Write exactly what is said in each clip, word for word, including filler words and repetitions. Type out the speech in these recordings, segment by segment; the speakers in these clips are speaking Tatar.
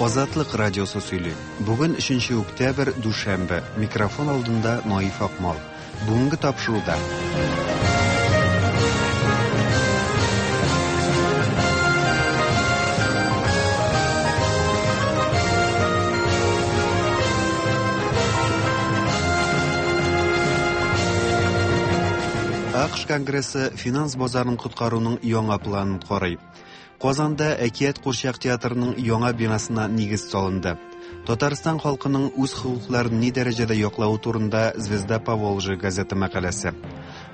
Азатлык радиосы сөйли. Бүген өченче октябрь, дүшәмбе. Микрофон алдында Наиф Акмал. Бүгенге тапшыруда. А К Ш Конгрессы финанс базарын коткаруның яңа планын карый. Казанда Әкият курчак театрының яңа бинасына нигез салынды. Татарстан халкының үз хокукларын ни дәрәҗәдә яклавы турында Звезда Поволжья газеты мәкаләсе.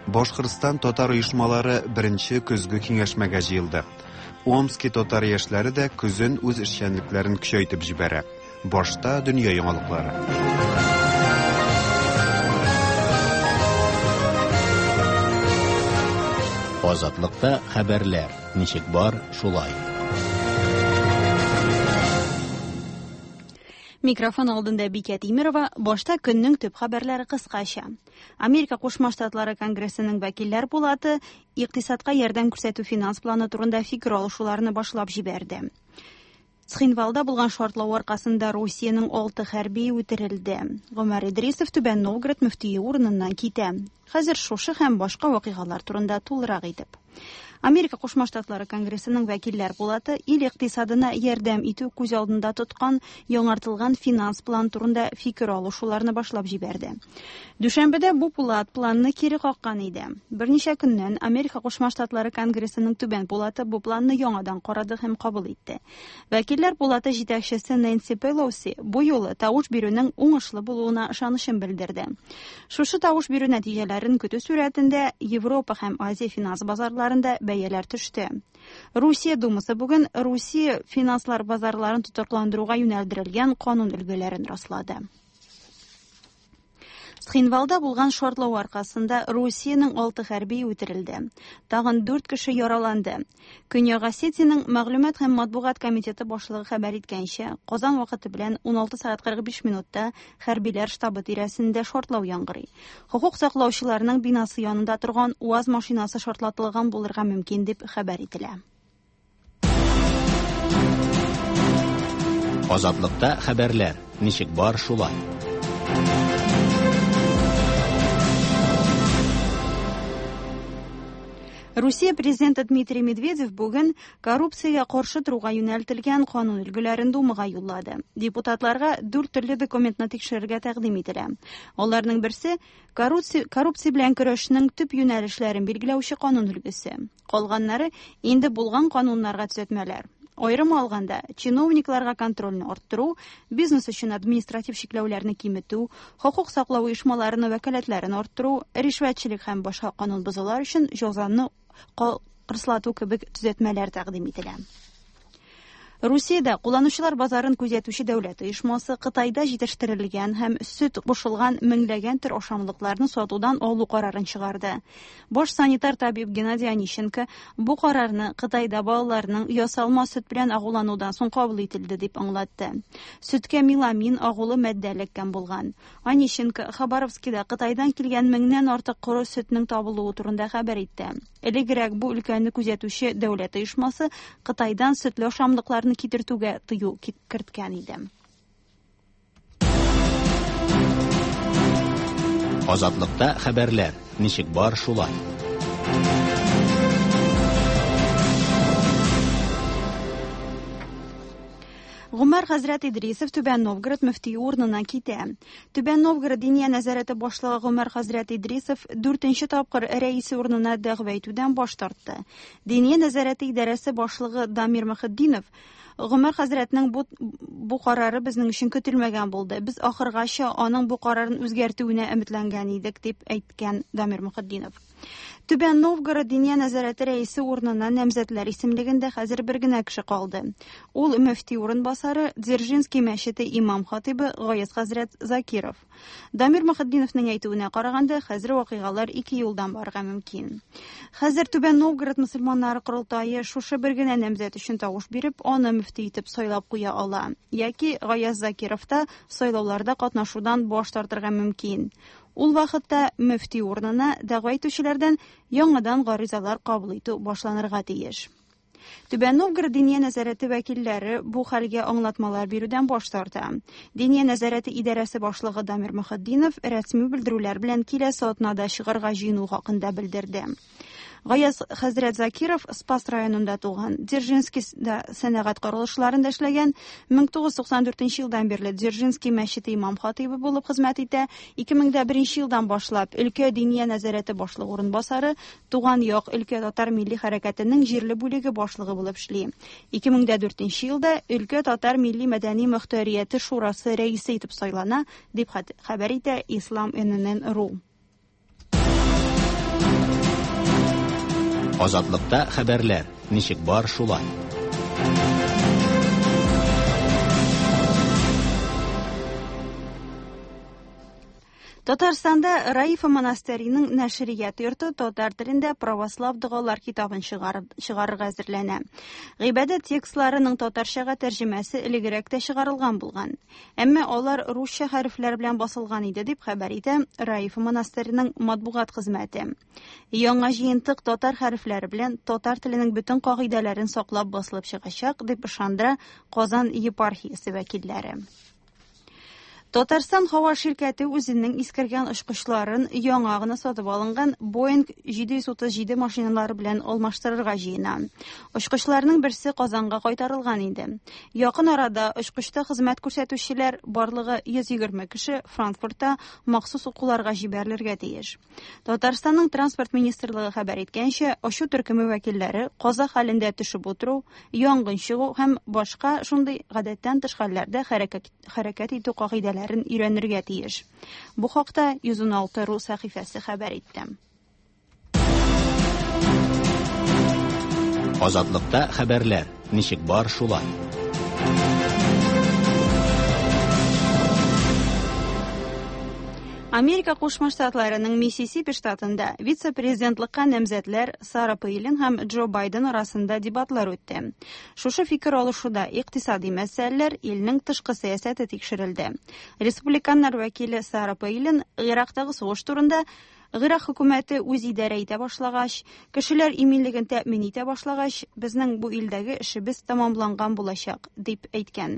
Башкортстан татар оешмалары беренче көзге киңәшмәгә җыелды. Омски татар яшьләре дә көзен үз эшчәнлекләрен көчәйтеп җибәрә. Башта дөнья яңалыклары. Азатлыкта хәбәрләр ничек бар, шулай. Микрофон алдында Бикә Тимирова, башта көннең төп хәбәрләре кыскача. Америка Кушма Штатлары Конгрессының вәкилләр пулаты икътисадка ярдәм күрсәтү финанс планы турында фикер алышуларны башлап җибәрде. Цхинвалда булган шартлау аркасында Русиянең алты хәрби үтерелде. Гомәр Идрисов Түбән Новгород мөфтие урыныннан китә. Хәзер шушы һәм башка вакыйгалар турында тулырак итеп. Америка Кушма Штатлары Конгрессының вәкилләр пулаты ил икътисадына ярдәм итү күз алдында тоткан яңартылган финанс план турында фикер алышуларны башлап җибәрде. Дүшәмбедә бу пулат планны кире каккан иде. Берничә көннән Америка Кушма Штатлары Конгрессының түбән пулаты бу планны яңадан карады һәм кабул итте. Вәкилләр пулаты җитәкчесе Нэнси Пелоси бу юлы тавыш бирүнең уңышлы булуына ышанычын белдерде. Шушы тавыш бирү нәтиҗәләрен көтү сурәтендә Европа һәм Азия финанс базарларында бәяләр төште. Русия Думасы бүген Русия финанслар базарларын тотрыкландыруга юнәлдерелгән канун өлгеләрен раслады. Цхинвалда булган шартлау аркасында Русиянең алты хәрби үтерелде. Тагын дүрт кеше яраланды. Көньяк Осетиянең мәгълүмат һәм матбугат комитеты башлыгы хәбәр иткәнчә, Казан вакыты белән ун алты сәгать кырык биш минутта хәрбиләр штабы тирәсендә шартлау яңгырый. Хокук саклаучыларның бинасы янында торган УАЗ машинасы шартлатылган булырга мөмкин дип хәбәр ителә. Азатлыкта хәбәрләр ничек бар, шулай. Русия президенты Дмитрий Медведев бүген коррупциягә каршы торуга юнәлтелгән канун өлгеләрен Думага юллады. Депутатларга дүрт төрле документны тикшерергә тәкъдим ителә. Аларның берсе коррупция, коррупция белән көрәшнең төп юнәлешләрен билгеләүче канун өлгесе. Калганнары инде булган кануннарга төзәтмәләр. Аерым алганда, чиновникларга контрольне арттыру, бизнес өчен административ чикләүләрне киметү, хокук саклау оешмаларының вәкаләтләрен арттыру, ришвәтчелек һәм башка канун бозулар өчен җәзаны кырыслату кебек төзәтмәләр тәкъдим ителә. Русиядә кулланучылар базарын күзәтүче дәүләт оешмасы Кытайда җитештерелгән һәм сөт кушылган меңләгән төр ашамлыкларны сатудан алу карарын чыгарды. Баш санитар табиб Геннадий Онищенко бу карарны Кытайда балаларның ясалма сөт белән агуланудан соң кабул ителде дип аңлатты. Сөткә меламин агулы матдә эләккән булган. Онищенко Хабаровскида Кытайдан килгән меңнән артык коры сөтнең табылуы турында хәбәр итте. Элегрәк бу өлкәне күзәтүче дәүләт оешмасы Кытайдан сөтле ашамлыкларны китертүгә тыю керткән иде. Азатлыкта хәбәрләр ничек бар, шулай. Гомәр хәзрәт Идрисов Түбән Новгород мөфтие урынына китә. Түбән Новгород Диния нәзарәте башлыгы Гомәр хәзрәт Идрисов дүртенче тапкыр рәисе урынына дәгъва итүдән баш тартты. Диния нәзарәте идарәсе башлыгы Дамир Мөхетдинов Гомәр хәзрәтнең бу, бу карары безнең өчен көтелмәгән булды. Без ахыргача аның бу карарын үзгәртүенә өметләнгән идек, дип әйткән Дамир Мөхетдинов. Түбән Новгород Диния нәзарәте рәисе урынына намзәтләр исемлегендә хәзер бер генә кеше калды. Ул мөфти урынбасары Дзержинский мәчете имам хатибы Гаяз хәзрәт Закиров. Дамир Мөхетдиновның әйтүенә караганда, хәзер вакыйгалар ике юлдан барырга мөмкин. Хәзер Түбән Новгород мөселманнары корылтае шушы бер генә намзәт өчен тавыш биреп, аны мөфти итеп сайлап куя ала. Яки Гаяз Закиров та сайлауларда катнашудан баш тартырга мөмкин. Ул вакытта мөфти урынына дәгъва итүчеләрдән яңадан гаризалар кабул итү башланырга тиеш. Түбән Новгород Диния нәзарәте вәкилләре бу хәлгә аңлатмалар бирүдән баш тарта. Диния нәзарәте идарәсе башлыгы Дамир Мөхетдинов рәсми белдерүләр белән киләсе атнада чыгарга җыену хакында белдерде. Гаяз хәзрәт Закиров Спас районында туган, Дзержинскийда сәнәгать корылышларында эшләгән, мең тугыз йөз туксан дүртенче елдан бирле Дзержинский мәчете имам хатыйбы булып хезмәт итә, ике мең дә беренче елдан башлап өлкә Диния нәзарәте башлыгы урынбасары, Туган як өлкә татар милли хәрәкәтенең җирле бүлеге башлыгы булып эшли. Ике мең дә дүртенче елда өлкә татар милли мәдәни мөхтәрияте шурасы рәисе итеп сайлана, дип хәбәр итә Ислам эн эн эн ру. Азатлыкта хәбәрләр ничек бар шулай. Татарстанда Раифа монастыреның нәшрият йорты татар телендә православ догалар китабын чыгарырга әзерләнә. Гыйбадәт текстларының татарчага тәрҗемәсе элегрәк тә чыгарылган булган. Әмма алар русча хәрефләр белән басылган иде, дип хәбәр итә Раифа монастыреның матбугат хезмәте. Яңа җыентык татар хәрефләре белән татар теленең бөтен кагыйдәләрен саклап басылып чыгачак, дип ышандыра Казан епархиясе вәкилләре. Татарстан һава ширкәте үзенең искергән очкычларын яңа гына сатып алынган Boeing җиде йөз утыз җиде машиналары белән алмаштырырга җыена. Очкычларның берсе Казанга кайтарылган инде. Якын арада очкычта хезмәт күрсәтүчеләр барлыгы йөз егерме кеше Франкфуртта махсус укуларга җибәрелергә тиеш. Татарстанның транспорт министрлыгы хәбәр иткәнчә, очу төркеме вәкилләре каза хәлендә төшеп утыру, янгын чыгу һәм башка шундый гадәттән тыш хәлләрдә хәрәкәт, хәрәкәт итү кагыйдәләре өйрәнергә тиеш. Бу хакта йөз ун алты ру сәхифәсе хәбәр итте. Азатлыкта хәбәрләр ничек бар шулай. Америка Кушма Штатларының Миссисипи штатында вице-президентлыкка намзәтләр Сара Пейлин һәм Джо Байден арасында дебатлар үтте. Шушы фикер алышуда икътисади мәсьәләләр, илнең тышкы сәясәте тикшерелде. Республиканнар вәкиле Сара Пейлин Ирактагы сугыш турында Ирак хөкүмәте үз идарә итә башлагач, кешеләр иминлеген тәэмин итә башлагач, безнең бу илдәге эшебез тәмамланган булачак, дип әйткән.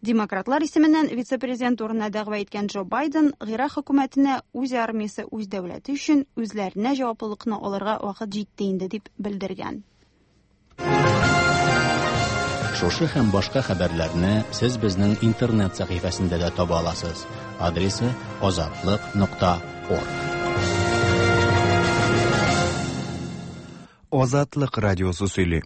Демократлар исеменнән вице-президент урынына дәгъва иткән Джо Байден Ирак хөкүмәтенә үз армиясе, үз дәүләте өчен үзләренә җаваплылыкны алырга вакыт җитте инде, дип белдергән. Шушы һәм башка хәбәрләрне сез безнең интернет сәхифәсендә дә таба аласыз. Адресы азатлык нокта орг. Азатлык радиосы сөйли.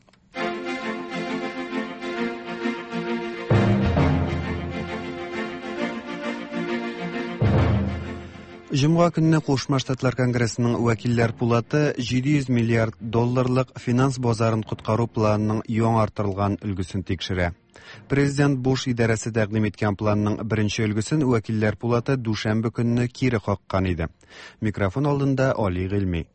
Җомга көнне Кушма Штатлар Конгрессының вәкилләр пулаты җиде йөз миллиард долларлык финанс базарын коткару планының яңартылган өлгесен тикшерә. Президент Буш идарәсе тәкъдим иткән планның беренче өлгесен вәкилләр пулаты дүшәмбе көнне кире каккан иде. Микрофон алдында Али Гыйльми.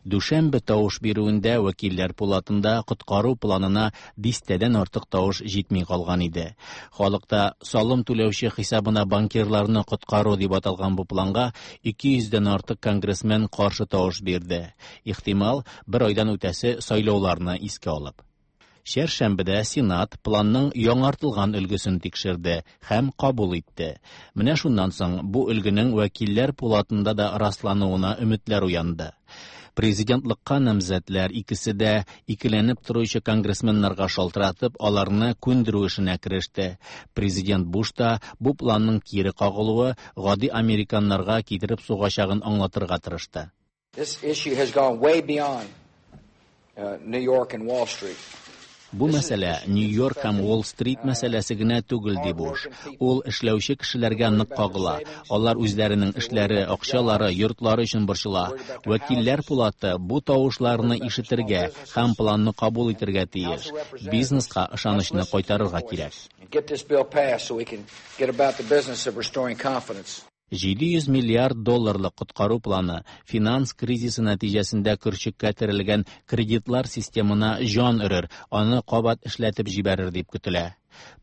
Дүшәмбе тавыш бирүендә вәкилләр пулатында коткару планына дистәдән артык тавыш җитми калган иде. Халыкта салым түләүче хисабына банкирларны коткару дип аталган бу планга ике йөздән артык конгрессмен каршы тавыш бирде. Ихтимал, бер айдан үтәсе сайлауларны искә алып. Чәршәмбедә Сенат планның яңартылган өлгесен тикшерде һәм кабул итте. Менә шуннан соң бу өлгенең вәкилләр пулатында да раслануына өметләр уянды. Президентлыкка намзәтләр икесе дә икеләнеп торучы конгрессменнарга шалтыратып, аларны күндерү эшенә кереште. Президент Буш та бу планның кире кагылуы гади американнарга китереп сугачагын аңлатырга тырышты. This issue has gone way beyond, uh, New York and Wall Street. Бу мәсьәлә Нью-Йорк һәм Уолл-стрит мәсьәләсе генә түгел, ди Буш. Ул эшләүче кешеләргә нык кагыла. Алар үзләренең эшләре, акчалары, йортлары өчен борчыла. Вәкилләр пулаты бу тавышларны ишетергә һәм планны кабул итергә тиеш. Бизнеска ышанычны кайтарырга кирәк. Get this bill passed so we can get about the business of restoring confidence. Җиде йөз миллиард долларлык коткару планы финанс кризисы нәтиҗәсендә көрчеккә терелгән кредитлар системына җан өрер, аны кабат эшләтеп җибәрер дип көтелә.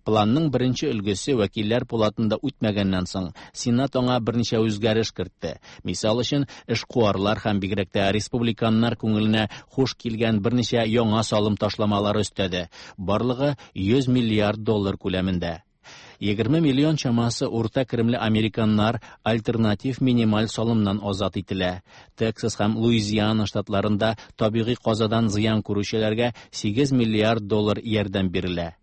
Планның беренче өлгесе вәкилләр пулатында үтмәгәннән соң, Сенат аңа берничә үзгәреш кертте. Мисал өчен, эшкуарлар һәм бигрәк тә республиканнар күңеленә хуш килгән берничә яңа салым ташламалары өстәде. Барлыгы йөз миллиард доллар күләмендә. Егерме миллион чамасы урта керемле американнар альтернатив минималь салымнан азат ителә. Тексас һәм Луизиана штатларында табигый казадан зыян күрүчеләргә сигез миллиард доллар ярдәм бирелә.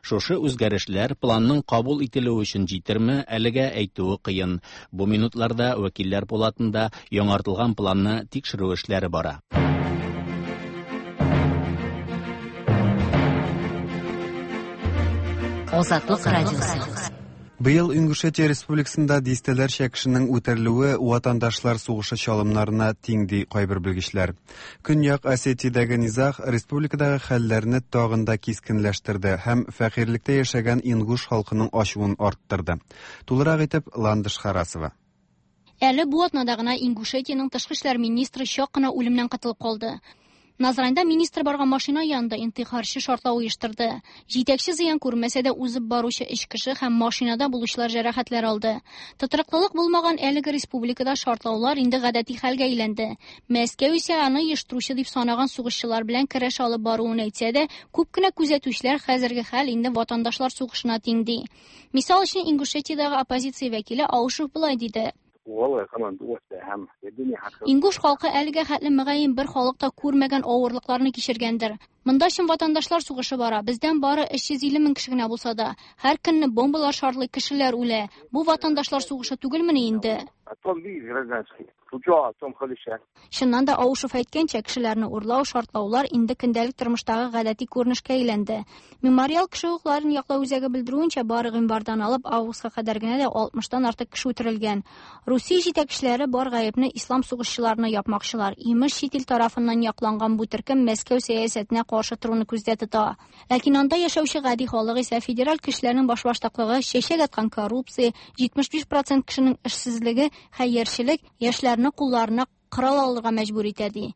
Шушы үзгәрешләр планның кабул ителүе өчен җитерме, әлегә әйтүе кыен. Бу минутларда вәкилләр пулатында яңартылган планны тикшерү эшләре бара. Азатлык радиосы. Быел Ингушетия Республикасында дистәләрчә кешенең үтерелүе ватандашлар сугышы чалымнарына тиң, ди кайбер белгечләр. Көньяк Осетиядәге низаг республикадагы хәлләрне тагын да кискенләштерде һәм фәкыйрьлектә яшәгән ингуш халкының ачуын арттырды. Тулырак итеп Ландыш Харасова. Әле бу атнада гына Ингушетиянең тышкы эшләр министры чак кына үлемнән котылып калды. Назранда министр барган машина янында интихарчы шартлау оештырды. Җитәкче зыян күрмәсә дә узып баручы өч кеше һәм машинада булучылар җәрәхәтләр алды. Тотрыклылык булмаган әлеге республикада шартлаулар инде гадәти хәлгә әйләнде. Мәскәү исә аны оештыручы дип санаган сугышчылар белән көрәш алып баруын әйтсә дә, күп кенә күзәтүчеләр хәзерге хәл инде ватандашлар сугышына тиң ди. Мисал өчен, Ингушетиядәге оппозиция вәкиле Аушев болай диде. Ингуш халкы әлегә хәтле мөгаен бер халыкта күрмәгән авырлыкларны кичергәндер. Монда чын ватандашлар сугышы бара. Бездән бары өч йөз илле мең кеше генә булса да, һәр көнне бомбалар шартлый, кешеләр үлә. Бу ватандашлар сугышы түгелмени инде? Чыннан да Аушев әйткәнчә, кешеләрне урлау, шартлаулар инде көндәлек тормыштагы гадәти күренешкә әйләнде. Мемориал кеше хокукларын яклау үзәге белдерүенчә, бары гыйнвардан алып августка кадәр генә дә алтмыштан артык кеше үтерелгән. Русия җитәкчеләре бар гаепне ислам сугышчыларына япмакчылар. Имеш, чит ил тарафыннан якланган бу төркем Мәскәү сәясәтенә каршы торуны күздә тота. Ләкин анда яшәүче гади халык исә федераль көчләрнең башбаштаклыгы, чәчәк аткан коррупция, җитмеш биш процент кешенең эшсезлеге, хәерчелек яшьләрне кулларына корал алырга мәҗбүр итә ди.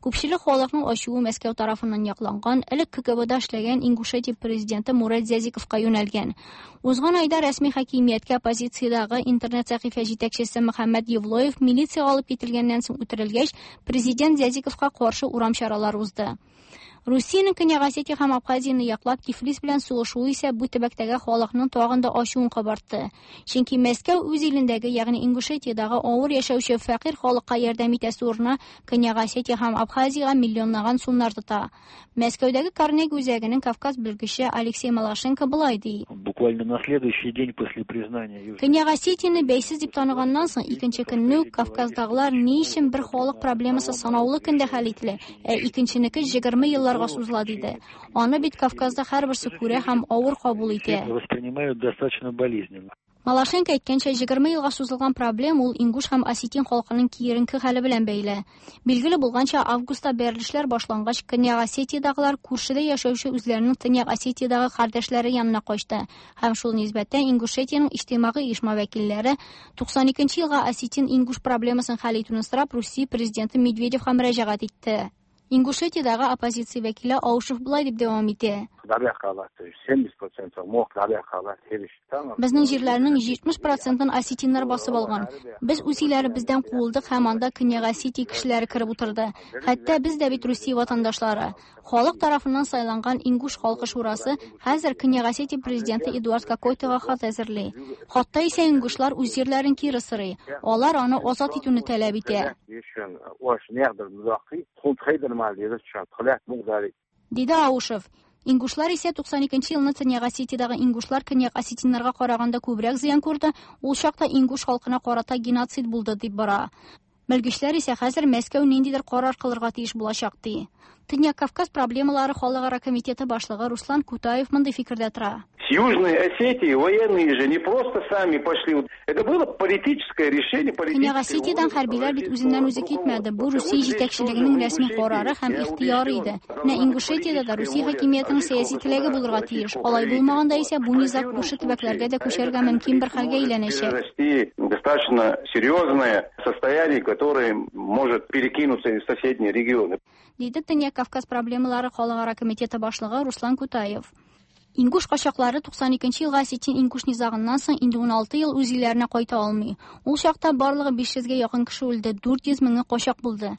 Күпчелек халыкның ачуы Мәскәү тарафыннан якланган, элек К Г Бда эшләгән Ингушетия президенты Мурат Зязиковка юнәлгән. Узган айда рәсми хакимияткә оппозициядәге интернет сәхифә җитәкчесе Мөхәммәд Евлоев милициягә алып кителгәннән соң үтерелгәч, президент Зязиковка каршы урам чаралары узды. Русиянең Көньяк Осетия һәм Абхазияне яклап Тифлис белән сугышуы исә бу төбәктәге халыкның тагын да ачуын кабартты. Чөнки Мәскәү үз илендәге, ягъни Ингушетиядәге авыр яшәүче фәкыйрь халыкка ярдәм итәсе урынына Көньяк Осетия һәм Абхазиягә миллионлаган сумнар тота. Мәскәүдәге Карнеги үзәгенең Кавказ белгече Алексей Малашенко болай ди. Буквально на следующий день после признания Көньяк Осетияне бәйсез дип таныганнан соң икенче көнне үк Кавказдагылар ни өчен бер халык проблемасы санаулы көндә хәл ителә, ә икенченеке егерме елларга сузыла диде. Аны бит Кавказда һәрберсе күрә һәм авыр кабул итә. Воспринимают достаточно болезненно. Малашенко әйткәнчә, егерме елга сузылган проблем ул ингуш һәм осетин халкының киеренке хәле белән бәйле. Билгеле булганча, августта бәрелешләр башлангач, Көньяк Осетиядагылар күршедә яшәүче үзләренең Төньяк Осетиядагы кардәшләре янына качты. Һәм шул нисбәттән Ингушетиянең иҗтимагый оешма вәкилләре туксан икенче елга осетин-ингуш проблемасын хәл итүне сорап Русия президенты Медведевка мөрәҗәгать итте. Ингушетиядагы оппозиция вәкиле Аушев болай дип дәвам итә. Безнең җирләрнең җитмеш процентын осетиннар басып алган. Без үз илләребездән куылдык һәм анда Көньяк Осетия кешеләре кереп утырды. Хәтта без дә бит Русия ватандашлары. Халык тарафыннан сайланган Ингуш халкы шурасы хәзер Көньяк Осетия президенты Эдуард Кокойтога хат әзерли. Хатта исә ингушлар үз җирләрен кире сорый. Алар аны азат итүне таләп итә. Диде Аушев. Ингушлар исә туксан икенче елны Төньяк Осетиядәге ингушлар Көньяк осетиннарга караганда күбрәк зыян күрде, ул чакта ингуш халкына карата геноцид булды дип бара. Белгечләр исә хәзер Мәскәү ниндидер карар кылырга тиеш булачак ди. Төньяк Кавказ проблемалары халыкара комитеты башлыгы Руслан Кутаев мондый фикердә тора. С Южной Осетии военные же не просто сами пошли. Это было политическое решение, политическое. Көньяк Осетиядән хәрбиләр бит үзеннән үзе китмәде. Бу Русия җитәкчелегенең рәсми карары һәм ихтыяры иде. Менә Ингушетиядә дә Русия хакимиятенең сәяси теләге булырга тиеш. Алай булмаганда исә бу низаг күрше төбәкләргә дә күчәргә мөмкин бер хәлгә әйләнәчәк. Достаточно серьезное состояние, которое может перекинуться в соседние регионы. Диде Төньяк Кавказ проблемалары халыкара комитеты башлыгы Руслан Кутаев. Ингуш качаклары туксан икенче елга осетин-ингуш низагыннан соң инде ун алты ел үз илләренә кайта алмый. Ул чакта барлыгы биш йөзгә якын кеше үлде, дүрт йөз меңе качак булды.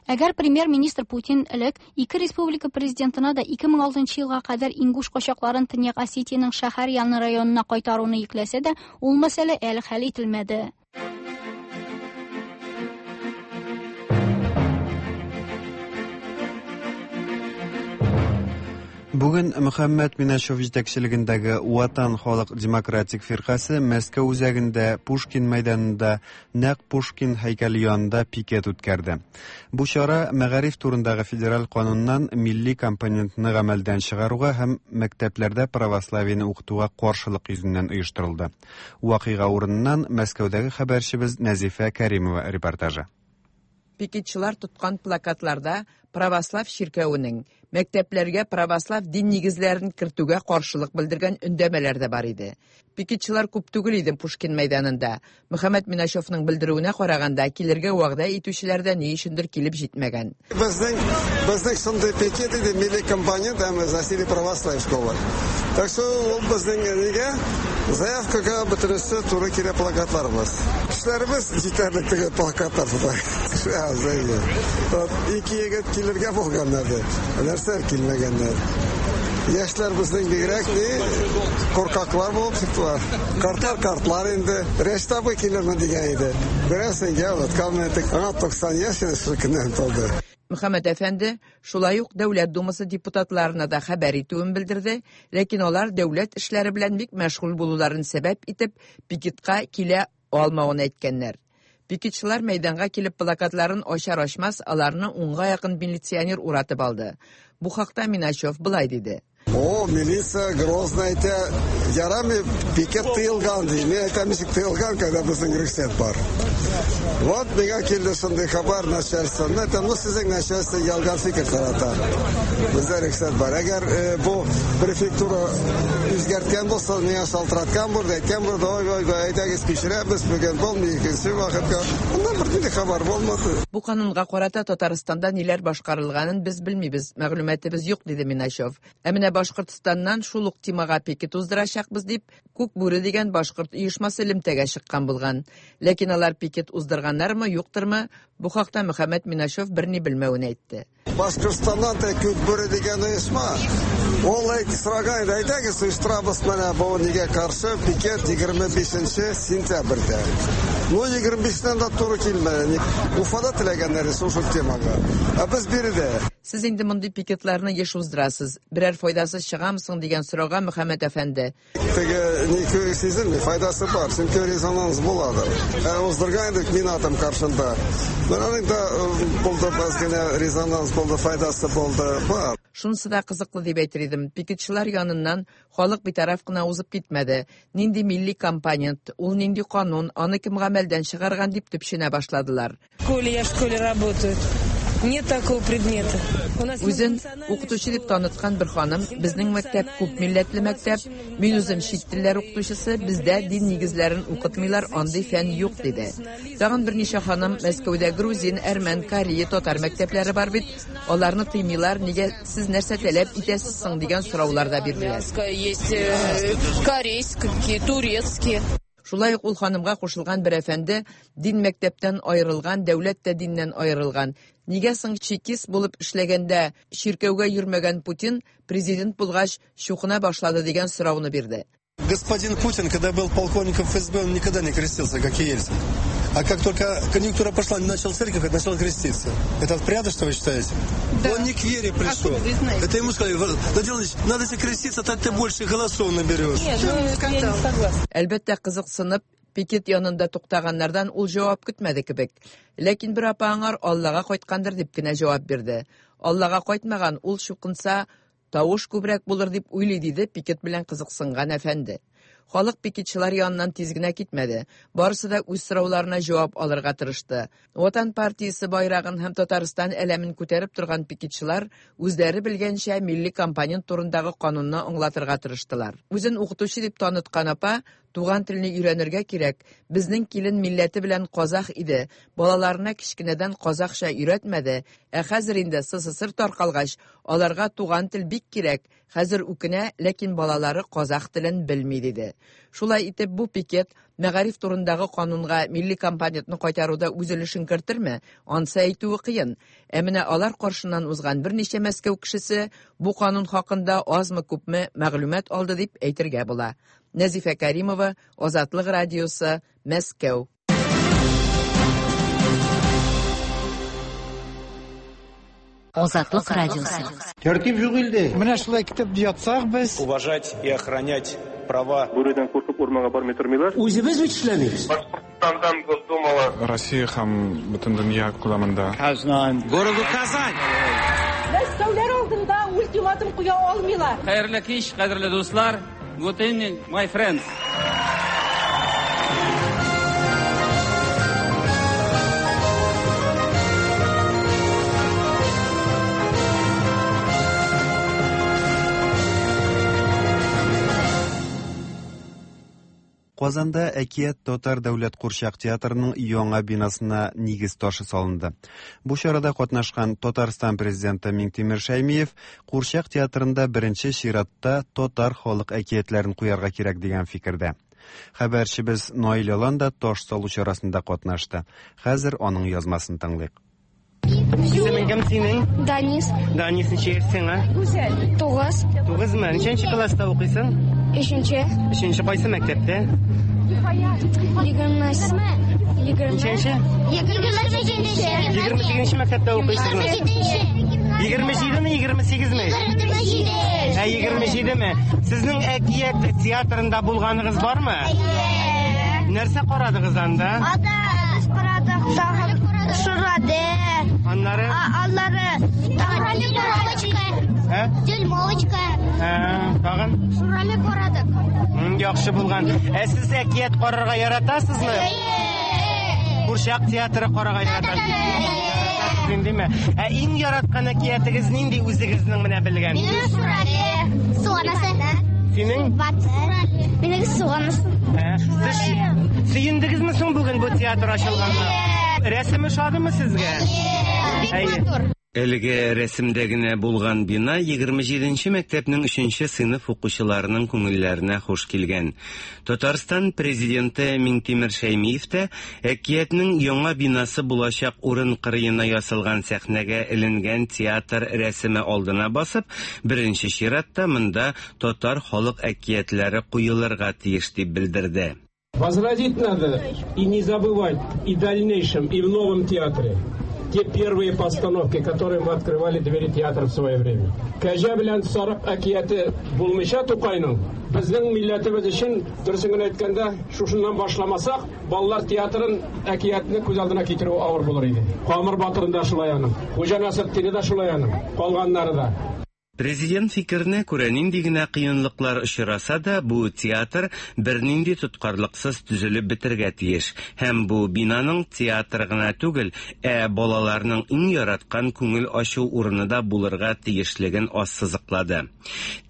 Әгәр премьер-министр Путин элек ике республика президентына да ике мең алтынчы елга кадәр ингуш качакларын Төньяк Осетиянең шәһәр яны районына кайтаруны йөкләсә дә, ул мәсьәлә әле хәл ителмәде. Бүген Мөхәммәт Миначев җитәкчелегендәге Ватан халык демократик фиркасе Мәскәү үзәгендә Пушкин мәйданында нәкъ Пушкин һәйкәле янында пикет үткәрде. Бу чара мәгариф турындагы федераль кануннан милли компонентны гамәлдән чыгаруга һәм мәктәпләрдә православиене укытуга каршылык йөзеннән оештырылды. Вакыйга урыныннан Мәскәүдәге хәбәрчебез Нәзифә Кәримова репортажы. Пикетчылар тоткан плакатларда православ чиркәвенең мәктәпләргә православ дин нигезләрен кертүгә каршылык белдергән өндәмәләр дә бар иде. Пикетчылар күп түгел иде Пушкин мәйданында. Мөхәммәт Миначевның белдерүенә караганда килергә вәгъдә итүчеләр дә ни өчендер килеп җитмәгән. Безнең безнең шундый пикет иде, милли компонент һәм засили православ школы. Так что ул безнең нигә заявкага бөтенесе туры килә плакатларыбыз. Кешеләребез җитәрлек теге плакатлар тота. Кеше аз иде. Ике егет килергә булганнар ди. Нәрсә килмәгәннәр. Яшьләр безнең бигрәк ни куркаклар булып чыктылар. Картлар картлар инде. Рәшит абый килерме дигән иде. Берәрсен оныткан идек. Аңа туксан яшь инде шул көннән тулды. Мөхәммәт әфәнде шулай ук Дәүләт Думасы депутатларына да хәбәр итүен белдерде, ләкин алар дәүләт эшләре белән бик мәшгуль булуларын сәбәп итеп пикетка килә алмавын әйткәннәр. Пикетчылар мәйданга килеп плакатларын ачар-ачмас аларны унга якын милиционер уратып алды. Бу хакта Миначев былай диде. О, милиция грозно әйтә, ярамый пикет тыелган ди. Мин әйтәм, ничек тыелган, когда безнең рөхсәт бар. Вот миңа килде шундый хәбәр начальстводан. Мин әйтәм, ну сезнең начальство ялган фикер тарата. Бездә рөхсәт бар. Әгәр бу префектура үзгәрткән булса, миңа шалтыраткан булды, әйткән булды, ой, ой, ой, әйдәгез кичерәбез, бүген булмый, икенче вакытка. Аннан бернинди хәбәр булмады. Бу канунга карата Татарстанда ниләр башкарылганын без белмибез, мәгълүматыбыз юк, диде Миначев. Ә менә Башкортстаннан шул ук темага пикет уздырачакбыз дип, Күк бүре дигән башкорт оешмасы элемтәгә чыккан булган. Ләкин алар пикет уздырганнармы, юктырмы, бу хакта Мөхәммәт Миначев берни белмәвен әйтте. Башкортстаннан та Күк бүре дигән оешма ул әйтте, сораган иде, әйдәгез оештырабыз менә бу нигә каршы пикет егерме бишенче сентябрьдә. Ну, егерме бишеннән дә туры килмәде. Уфада теләгәннәр шул темага. Ә без биредә. Сез инде мондый пикетларны еш уздырасыз. Берәр файдасы чыгамы соң дигән сорауга Мөхәммәт әфәнде: Теге ни сизелми, файдасы бар, чөнки резонанс буладыр. Ә уздырган идек мин атым каршында. Менә аның да булды, аз генә резонанс булды, файдасы булды, бар. Шунысы да кызыклы дип әйтер идем. Пикетчылар яныннан халык битараф кына узып китмәде. Нинди милли компонент, ул нинди канун, аны кем гамәлдән чыгарган дип төпченә башладылар. В школе, я в школе работаю. Нет такого предмета. Үзен укытучы дип таныткан бер ханым, безнең мәктәп күп милләтле мәктәп, мин үзем чит телләр укытучысы, бездә дин нигезләрен укытмыйлар, андый фән юк, диде. Тагын берничә ханым Мәскәүдә грузин, әрмән, корея, татар мәктәпләре бар бит, аларны тыймыйлар, нигә сез нәрсә таләп итәсез соң дигән сораулар да бирделәр. Есть корейские, турецкие. Шулай ук ул ханымга кушылган бер әфәнде дин мәктәптән аерылган, дәүләт тә диннән аерылган. Нигә соң чекист булып эшләгәндә чиркәүгә йөрмәгән Путин президент булгач чукына башлады дигән сорауны бирде. Господин Путин, когда был полковником эф эс бэ, он никогда не крестился, как и Ельцин. А как только конъюнктура пошла, он начал церковь, начал креститься. Это порядок, что вы считаете? Да. Он не к вере пришел. Откуда вы знаете? Это ему сказали, Владимир Владимирович, надо тебе креститься, так ты больше голосов наберешь. Нет, ну, я не согласна. Әлбәттә, кызыксынып, пикет янында туктаганнардан ул җавап көтмәде кебек. Ләкин бер апа аңар Аллага кайткандыр дип кенә җавап бирде. Аллага кайтмаган, ул чукынса, тавыш күбрәк булыр дип уйлый, диде пикет белән кызыксынган әфәнде. Халык пикетчылар яныннан тиз генә китмәде. Барысы да үз сорауларына җавап алырга тырышты. Ватан партиясе байрагын һәм Татарстан әләмен күтәреп торган пикетчылар үзләре белгәнчә милли компонент турындагы канунны аңлатырга тырыштылар. Үзен укытучы дип таныткан апа, туган телне өйрәнергә кирәк. Безнең килен милләте белән казах иде. Балаларына кечкенәдән казахча өйрәтмәде. Ә хәзер инде СССР таркалгач, аларга туган тел бик кирәк. Хәзер үкенә, ләкин балалары казах телен белми диде. Шулай итеп бу пикет мәгариф турындагы канунга милли компонентны кайтаруда үз өлешен кертерме? Ансы әйтүе кыен. Ә менә алар каршыннан узган берничә Мәскәү кешесе бу канун хакында азмы-күпме мәгълүмат алды дип әйтергә була. Нәзифә Каримова, Азатлык радиосы, Мәскәү. Азатлык радиосы. Тәртип юк илдә. Менә шулай китеп ятсак без. Уважать и охранять права. Бүредән куркып урманга бармый тормыйлар. Үзебез бит эшләмибез. Башкортстандан Госдумала. Россия һәм бөтен дөнья күләмендә. Казан. Городу Казань. Мәскәүләр алдында ультиматум куя алмыйлар. Хәерле кич, кадерле дуслар. Good evening, my friends. Казанда Әкият татар дәүләт курчак театрының яңа бинасына нигез ташы салынды. Бу чарада катнашкан Татарстан президенты Миңтимер Шәймиев курчак театрында беренче чиратта татар халык әкиятләрен куярга кирәк дигән фикердә. Хәбәрчебез Наил Алан да таш салу чарасында катнашты. Хәзер аның язмасын тыңлыйк. Исемең кем синең? Данис. Данис, ничә яшьсең, а? Гүзәл. Тугыз. Тугызмы? Ничәнче класста укыйсың? Өченче. Өченче кайсы мәктәптә? Егерме. Егерме. Ничәнче? Егерме сигезенче. Егерме сигезенче мәктәптә укыйсызмы? Егерме җидеме, егерме сигезме? Егерме җиде. Ә, егерме җидеме? Сезнең Әкият театрында булганыгыз бармы? Әйе. Нәрсә карадыгыз анда? Анда без карадык, тагын Шурады. Аннары? Аннары Дюймовочка. Ә? Дюймовочка. Ә, тагын? Шурали карадык. Яхшы булган. Ә сез әкият карарга яратасызмы? Әйе. Курчак театры карарга яратасызмы? Диме? Ә иң яраткан әкиятегез нинди үзегезнең менә белгән? Минем Шурали. Суганасы. Синең? Минем суганасы. Ә, сез сөендегезме соң бүген бу театр ачылганга? Рәсеме ошадымы сезгә? Бик матур. Әлеге рәсемдә генә булган бина егерме җиденче мәктәпнең өченче сыйныф укучыларының күңелләренә хуш килгән. Татарстан президенты Миңтимер Шәймиев тә Әкиятнең яңа бинасы булачак урын кырыена ясалган сәхнәгә эленгән театр рәсеме алдына басып, беренче чиратта монда татар халык әкиятләре куелырга тиеш дип белдерде. Возродить надо и не забывать и в дальнейшем, и в новом театре те первые постановки, которые мы открывали двери театра в свое время. Кәҗә белән сарык әкияте булмыйча Тукайның, безнең милләтебез өчен, дөресен генә әйткәндә, шушыннан башламасак, балалар театрын әкиятне күз алдына китерү авыр булыр иде. Камыр батырын да шулай аның, Хуҗа Насретдинне дә шулай аның, калганнары да. Президент фикеренә күрә, нинди генә кыенлыклар очраса да, бу театр бернинди тоткарлыксыз төзелеп бетергә тиеш. Һәм бу бинаның театр гына түгел, ә балаларның иң яраткан күңел ачу урыны да булырга тиешлеген ассызыклады.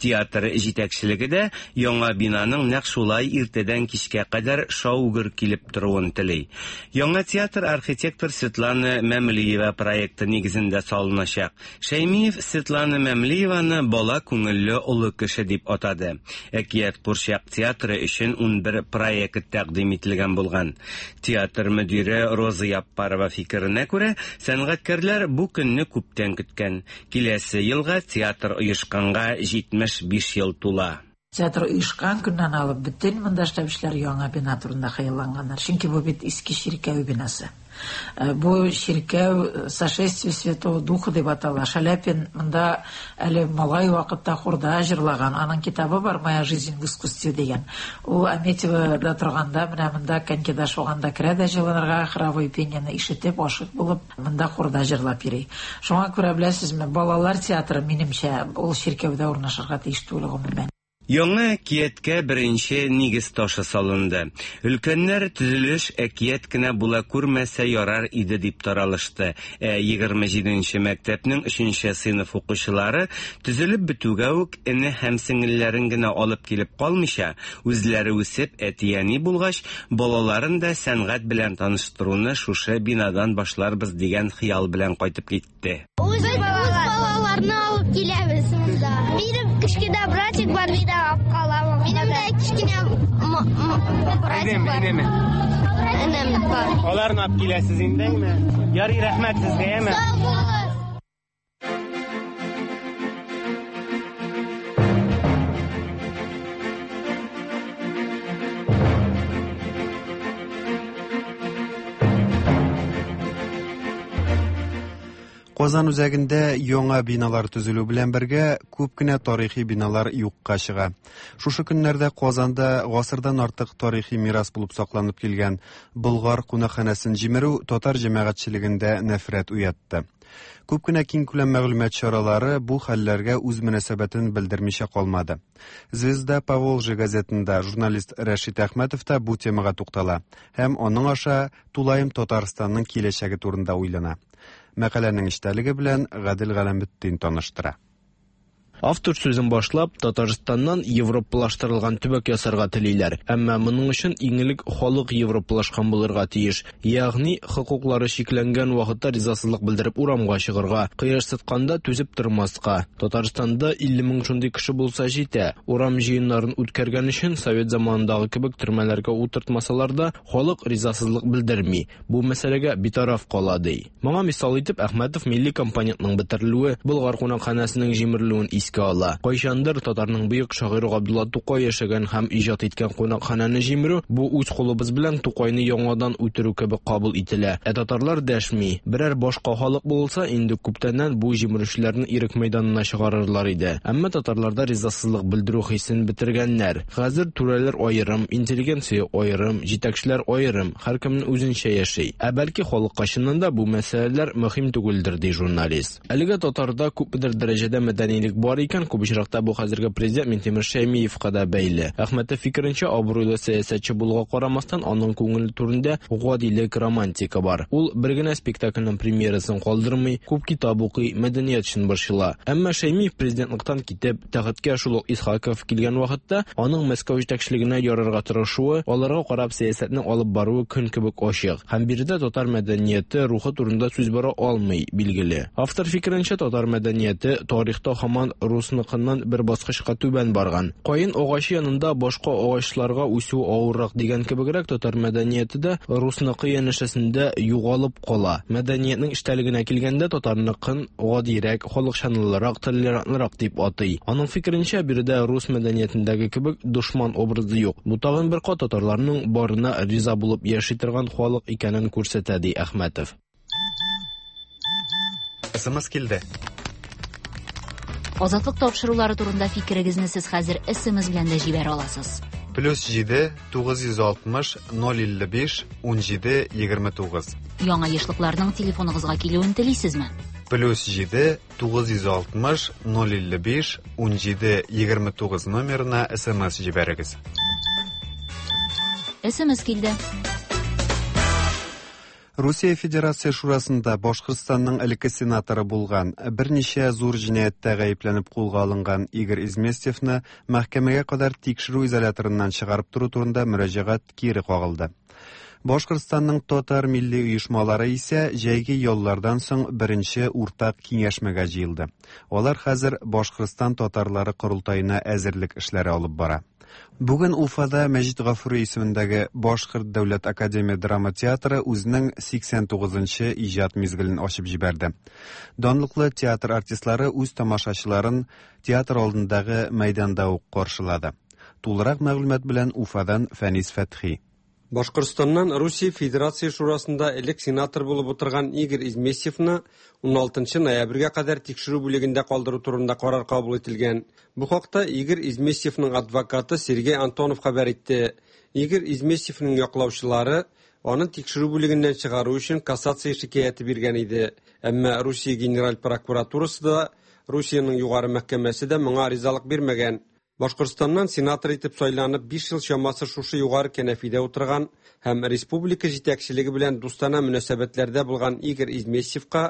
Театр җитәкчелеге дә яңа бинаның нәкъ шулай иртәдән кичкә кадәр шау-гөр килеп торуын тели. Яңа театр архитектор Светлана Мәмлиева проекты нигезендә салыначак. Шәймиев Светлана Мәмлиева бала күңелле олы кеше дип атады. Әкият курчак театры өчен унбер проект тәкъдим ителгән булган. Театр мөдире Роза Яппарова фикеренә күрә, сәнгатькәрләр бу көнне күптән көткән. Киләсе елга театр оешканга җитмеш биш ел тула. Театр оешкан көннән алып бөтен монда эшләүчеләр яңа бина турында хыялланганнар. Чөнки бу бит иске чиркәү бинасы. Бу чиркәү Сошествие Святого Духа дип атала. Шаляпин монда әле малай вакытта хорда җырлаган. Аның китабы бар «Моя жизнь в искусстве» дигән. Ул Аметьевода торганда, менә монда конькида шуганда керә дә җылынырга, хоровой пениене ишетеп, ашык булып, монда хорда җырлап йөри. Шуңа күрә беләсезме, балалар театры минемчә ул чиркәүдә урнашырга тиеш түгел гомумән. Яңа әкияткә беренче нигез ташы салынды. Өлкәннәр төзелеш әкият кенә була күрмәсә ярар иде дип таралышты. Ә егерме җиденче мәктәпнең өченче сыйныф укучылары төзелеп бетүгә үк эне һәм сеңелләрен генә алып килеп калмыйча, үзләре үсеп әти-әни булгач, балаларын да сәнгать белән таныштыруны шушы бинадан башларбыз дигән хыял белән кайтып китте. Үз балаларны алып киләбез монда. Минем кечкенә братик бар, мин алып калам. Минем дә кечкенә братик бар. Энем бар. Аларны алып киләсез индеме? Ярый, рәхмәт сезгә, әме? Сау булыгыз. Казан үзәгендә яңа биналар төзелү белән бергә күп кенә тарихи биналар юкка чыга. Шушы көннәрдә Казанда гасырдан артык тарихи мирас булып сакланып килгән Болгар кунакханәсен җимерү татар җәмәгатьчелегендә нәфрәт уятты. Күп кенә киңкүләм мәгълүмат чаралары бу хәлләргә үз мөнәсәбәтен белдермичә калмады. Звезда Поволжье газетында журналист Рәшит Әхмәтов та бу темага туктала һәм аның аша тулаем Татарстанның киләчәге турында уйлана. Мәкаләнең эчтәлеге белән Гадел Галәметдин таныштыра. Автор сүзен башлап, Татарстаннан европалаштырылган төбәк ясарга телиләр. Әмма моның өчен иң элек халык европалашкан булырга тиеш. Ягъни хокуклары чикләнгән вакытта ризасызлык белдереп урамга чыгарга, кыерсытканда түзеп тормаска. Татарстанда илле мең шундый кеше булса җитә. Урам җыеннарын үткәргән өчен совет заманындагы кебек төрмәләргә утыртмасалар да, халык ризасызлык белдерми. Бу мәсьәләгә битараф кала ди. Моңа мисал итеп Әхмәтов милли компонентның бетерелүе, Болгар кунакханәсенең җимерелүен искә ала. Кайчандыр татарның бөек шагыйре Габдулла Тукай яшәгән һәм иҗат иткән кунакханәне җимерү бу үз кулыбыз белән Тукайны яңадан үтерү кебек кабул ителә. Ә татарлар дәшми. Берәр башка халык булса, инде күптәннән бу җимерүчеләрне ирек мәйданына чыгарырлар иде. Әмма татарларда ризасызлык белдерү хисен бетергәннәр. Хәзер түрәләр аерым, интеллигенция аерым, җитәкчеләр аерым, һәркемнең үзенчә яши. Ә бәлки халыкка чыннан да бу мәсьәләләр мөһим түгелдер, ди журналист. Әлегә татарда күпмедер дәрәҗәдә мәдәнилек бар икән, күп очракта бу хәзерге президент Минтимер Шәймиевка да бәйле. Әхмәтов фикеренчә, абруйлы сәясәтче булуга карамастан, аның күңел түрендә гадилек, романтика бар. Ул бер генә спектакльнең премьерасын калдырмый, күп китап укый, мәдәният өчен борчыла. Әмма Шәймиев президентлыктан китеп, тәхеткә шул ук Исхаков килгән вакытта аның Мәскәү җитәкчелегенә ярарга тырышуы, аларга карап сәясәтне алып баруы көн кебек ачык. Һәм биредә татар мәдәнияте рухы турында сүз бара алмый, билгеле. Автор фикеренчә, татар мәдәнияте тарихта һаман русныкыннан бер баскычка түбән барган. Каен агачы янында башка агачларга үсү авыррак дигән кебегрәк татар мәдәнияте дә русныкы янәшәсендә югалып кала. Мәдәниятнең эчтәлегенә килгәндә татарныкын гадирәк, халыкчанлырак, толерантлырак дип атый. Аның фикеренчә, биредә рус мәдәниятендәге кебек дошман образы юк. Бу тагын бер кат татарларның барына риза булып яши торган халык икәнен күрсәтә, ди Әхмәтов. СМС килде. Азатлык тапшырулары турында фикерегезне сез хәзер СМС белән дә җибәрә аласыз. Плюс җиде тугыз йөз алтмыш ноль илле биш ун җиде егерме тугыз. Яңа ешлыкларның телефоныгызга килүен телисезме? Плюс җиде тугыз йөз алтмыш ноль илле биш ун җиде егерме тугыз номерына СМС җибәрегез. СМС килде. Русия Федерация Шурасында Башкортстанның элекке сенаторы булган, берничә зур җинаятьтә гаепләнеп кулга алынган Игорь Изместьевны мәхкәмәгә кадәр тикшерү изоляторыннан чыгарып тору турында мөрәҗәгать кире кагылды. Башкортстанның татар милли оешмалары исә җәйге яллардан соң беренче уртак киңәшмәгә җыелды. Алар хәзер Башкортстан татарлары корылтаена әзерлек эшләре алып бара. Бүген Уфада Мәҗит Гафури исемендәге Башкорт дәүләт академия драма театры үзенең сиксән тугызынчы иҗат мизгелен ачып җибәрде. Данлыклы театр артистлары үз тамашачыларын театр алдындагы мәйданда ук каршылады. Тулырак мәгълүмат белән Уфадан Фәнис Фәтхи. Башкортстаннан Русия Федерация Шурасында элек сенатор булып утырган Игорь Изместьевны ун алтынчы ноябрьгә кадәр тикшерү бүлегендә калдыру турында карар кабул ителгән. Бу хакта Игорь Изместьевның адвокаты Сергей Антонов хәбәр итте. Игорь Изместьевның яклаучылары аны тикшерү бүлегеннән чыгару өчен кассация шикаяте биргән иде. Әмма Русия Генераль прокуратурасы да, Русиянең югары мәхкәмәсе дә моңа ризалык бирмәгән. Башкортстаннан сенатор итеп сайланып биш ел чамасы шушы югары кәнәфидә утырган һәм республика җитәкчелеге белән дустана мөнәсәбәтләрдә булган Игорь Изместьевка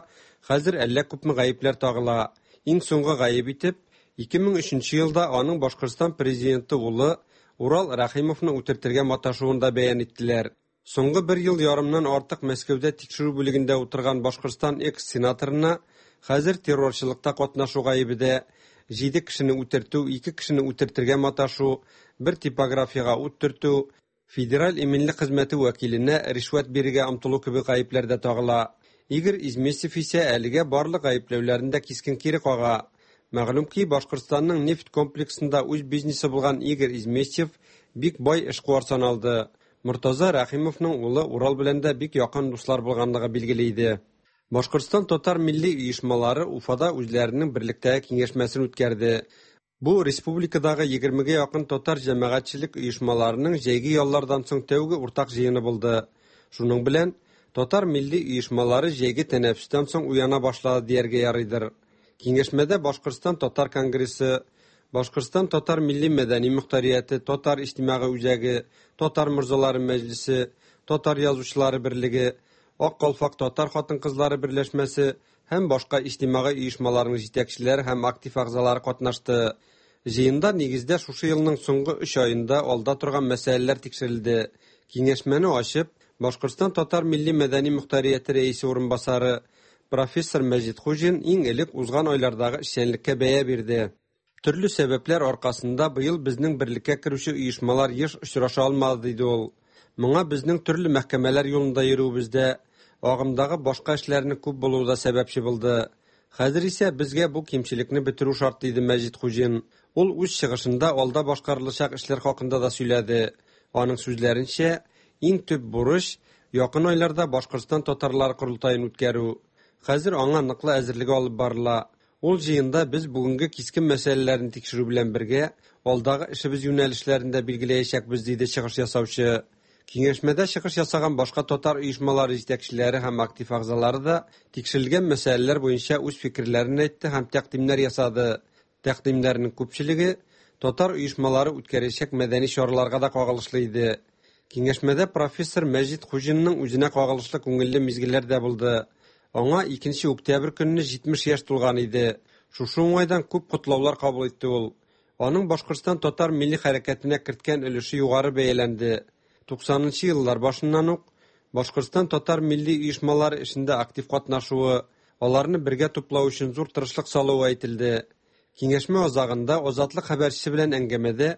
хәзер әллә күпме гаепләр тагыла. Иң соңгы гаеп итеп ике мең өченче елда аның Башкортстан президенты улы Урал Рәхимовны үтертергә маташуын да бәян иттеләр. Соңгы бер ел ярымнан артык Мәскәүдә тикшерү бүлегендә утырган Башкортстан экс-сенаторына хәзер террорчылыкта катнашу гаебе дә, җиде кешене үтертү, ике кешене үтертергә маташу, бер типографияга ут төртү, федераль иминлек хезмәте вәкиленә ришвәт бирергә омтылу кебек гаепләр дә тагыла. Игорь Изместьев исә әлегә барлык гаепләүләрен дә кискен кире кага. Мәгълүм ки, Башкортстанның нефть комплексында үз бизнесы булган Игорь Изместьев бик бай эшкуар саналды. Мортаза Рәхимовның улы Урал белән дә бик якын дуслар булганлыгы билгеле иде. Башкортстан татар милли оешмалары Уфада үзләренең берлектәге киңәшмәсен үткәрде. Бу республикадагы егермегә якын татар җәмәгатьчелек оешмаларының җәйге яллардан соң тәүге уртак җыены булды. Шуның белән татар милли оешмалары җәйге тәнәфестән соң уяна башлады дияргә ярыйдыр. Киңәшмәдә Башкортстан татар конгрессы, Башкортстан татар милли мәдәни мөхтәрияте, татар иҗтимагый үзәге, татар морзалары мәҗлесе, татар язучылары берлеге, Ак калфак татар хатын-кызлары берләшмәсе һәм башка иҗтимагый оешмаларның җитәкчеләре һәм актив әгъзалары катнашты. Җыенда нигездә шушы елның соңгы өч аенда алда торган мәсьәләләр тикшерелде. Киңәшмәне ачып, Башкортстан татар милли мәдәни мөхтәрияте рәисе урынбасары профессор Мәҗит Хуҗин иң элек узган айлардагы эшчәнлеккә бәя бирде. Төрле сәбәпләр аркасында быел безнең берлеккә керүче оешмалар еш очраша алмады, диде ул. Моңа безнең төрле мәхкәмәләр юлында йөрүебездә, агымдагы башка эшләрнең күп булуы да сәбәпче булды. Хәзер исә безгә бу кимчелекне бетерү шарт, диде Мәҗит Хуҗин. Ул үз чыгышында алда башкарылачак эшләр хакында да сөйләде. Аның сүзләренчә, иң төп бурыч якын айларда Башкортстан татарлары корылтаен үткәрү. Хәзер аңа ныклы әзерлеге алып барыла. Ул җыенда без бүгенге кискен мәсьәләләрне тикшерү белән бергә алдагы эшебез юнәлешләрен дә билгеләячәкбез, диде чыгыш ясаучы. Киңәшмәдә чыгыш ясаган башка татар оешмалары җитәкчеләре һәм актив әгъзалары да тикшерелгән мәсьәләләр буенча үз фикерләрен әйтте һәм тәкъдимнәр ясады. Тәкъдимнәрнең күпчелеге татар оешмалары үткәрәчәк мәдәни чараларга да кагылышлы иде. Киңәшмәдә профессор Мәҗит Хуҗинның үзенә кагылышлы күңелле мизгелләр дә булды. Аңа икенче октябрь көнне җитмеш яшь тулган иде. Шушы уңайдан күп котлаулар кабул итте ул. Аның Башкортстан татар милли хәрәкәтенә керткән өлеше югары бәяләнде. Туксанынчы еллар башыннан ук Башкортстан татар милли оешмалары эшендә актив катнашуы, аларны бергә туплау өчен зур тырышлык салуы әйтелде. Киңәшмә азагында Азатлык хәбәрчесе белән әңгәмәдә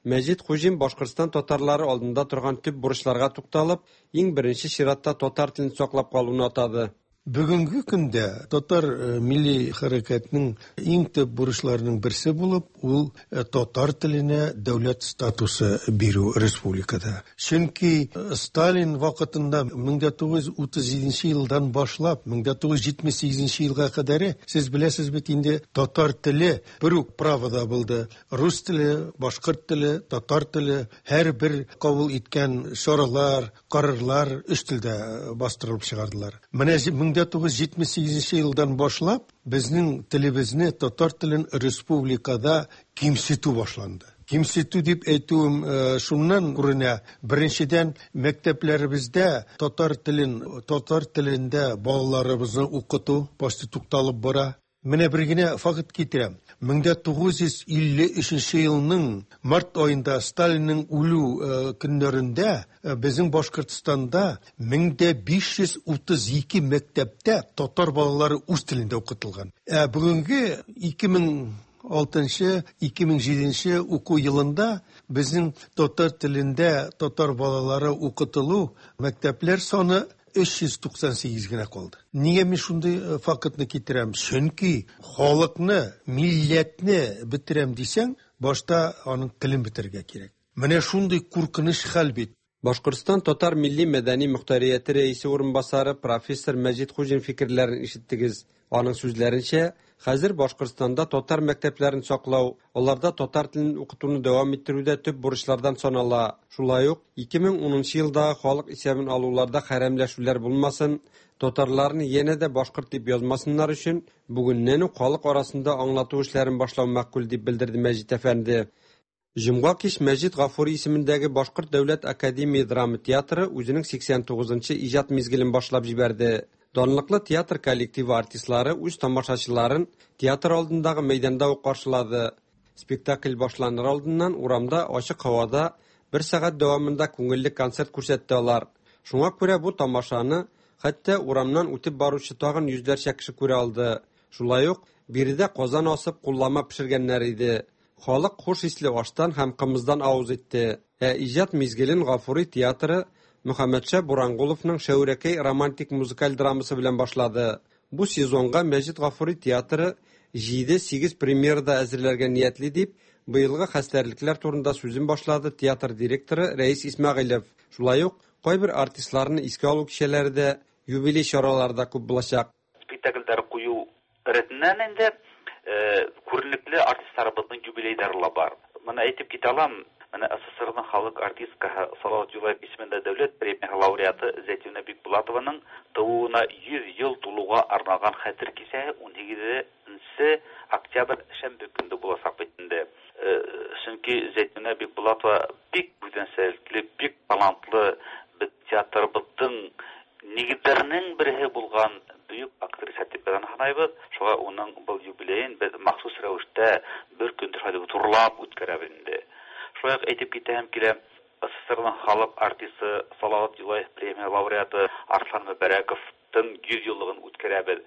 Мәҗит Хуҗин Башкортстан татарлары алдында торган төп бурычларга тукталып, иң беренче чиратта татар телен саклап калуны атады. Бүгенге көндә татар милли хәрәкәтенең иң төп бурычларының берсе булып, ул татар теленә дәүләт статусы бирү республикада. Чөнки Сталин вакытында мең тугыз йөз утыз җиденче елдан башлап мең тугыз йөз җитмеш сигезенче елга кадәр, сез беләсез бит инде, татар теле бер үк правода булды. Рус теле, башкорт теле, татар теле һәрбер кабул иткән чаралар, карарлар өч телдә бастырылып чыгардылар. Менә мең тугыз йөз җитмеш сигезенче елдан башлап безнең телебезне, татар телен республикада кимсетү башланды. Кимсетү дип әйтүем шуннан күренә. Беренчедән, мәктәпләребездә татар телен, татар телендә балаларыбызны укыту почти тукталып бара. Менә бер генә факт китерәм. мең тугыз йөз илле өченче елның март аенда Сталинның үлү көннәрендә безнең Башкортстанда мең биш йөз утыз ике мәктәптә татар балалары үз телендә укытылган. Ә бүгенге ике мең алтынчы, ике мең җиденче уку елында безнең татар телендә татар балалары укытылу мәктәпләр саны өч йөз туксан сигез генә калды. Нигә мин шундый фактны китерәм? Чөнки халыкны, милләтне бетерәм дисәң, башта аның телен бетерергә кирәк. Менә шундый куркыныч хәл бит. Башкортстан татар милли мәдәни мөхтәрияте рәисе урынбасары профессор Мәҗит Хуҗин фикерләрен ишеттегез. Аның сүзләренчә, хәзер Башкортстанда татар мәктәпләрен саклау, аларда татар телен укытуны дәвам иттерүдә төп бурычлардан санала. Шулай ук ике мең унынчы елдагы халык исәбен алуларда хәрәмләшүләр булмасын, татарларны янә дә башкорт дип язмасыннар өчен бүгеннән үк халык арасында аңлату эшләрен башлау мәкъбул дип белдерде Мәҗит әфәнде. Җомга кич Мәҗит Гафури исемендәге Башкорт дәүләт академия драма театры үзенең сиксән тугызынчы иҗат мизгелен башлап җибәрде. Данлыклы театр коллективы артистлары үз тамашачыларын театр алдындагы мәйданда ук каршылады. Спектакль башланыр алдыннан урамда ачык һавада бер сәгать дәвамында күңелле концерт күрсәтте алар. Шуңа күрә бу тамашаны хәтта урамнан үтеп баручы тагын йөзләрчә кеше күрә алды. Шулай ук биредә казан асып куллама пешергәннәр иде. Халык хуш исле аштан һәм кымыздан авыз итте. Ә иҗат мизгелен Гафури театры Мөхәммәтша Бурангуловның Шәүрәкәй романтик музыкаль драмасы белән башлады. Бу сезонга Мәҗит Гафури театры җиде-сигез премьерада әзерләргә ниятли дип, быелгы хәстәрлекләр турында сүзен башлады театр директоры Рәис Исмәгыйлев. Шулай ук кайбер артистларны искә алу кичәләре дә, юбилей чаралары да күп булачак. Спектакльләр кую рәтеннән инде күренекле артистларыбызның юбилейлары ла бар. Моны әйтеп китә алам, менә СССРның халык артисткасы Салават Юлаев исемендә дәүләт премия лауреаты Зәйтүнә Бикбулатованың тууына йөз ел тулуга арналган хәтер кичәсе унһигезенче октябрь шәмбе көндә булачак бит инде. Чөнки Зәйтүнә Бикбулатова бик үзенчәлекле, бик талантлы бит театрыбызның нигезләренең бере булган бөек актриса дип санайбыз. Шуңа уның был юбилеен без махсус рәвештә бер көндә шулай зурлап үткәрәбез инде. Шулай ук әйтеп китәм килә, СССРның халык артисты Салават Юлаев премия лауреаты Арслан Мөбәрәковтың йөз еллыгын үткәрәбез.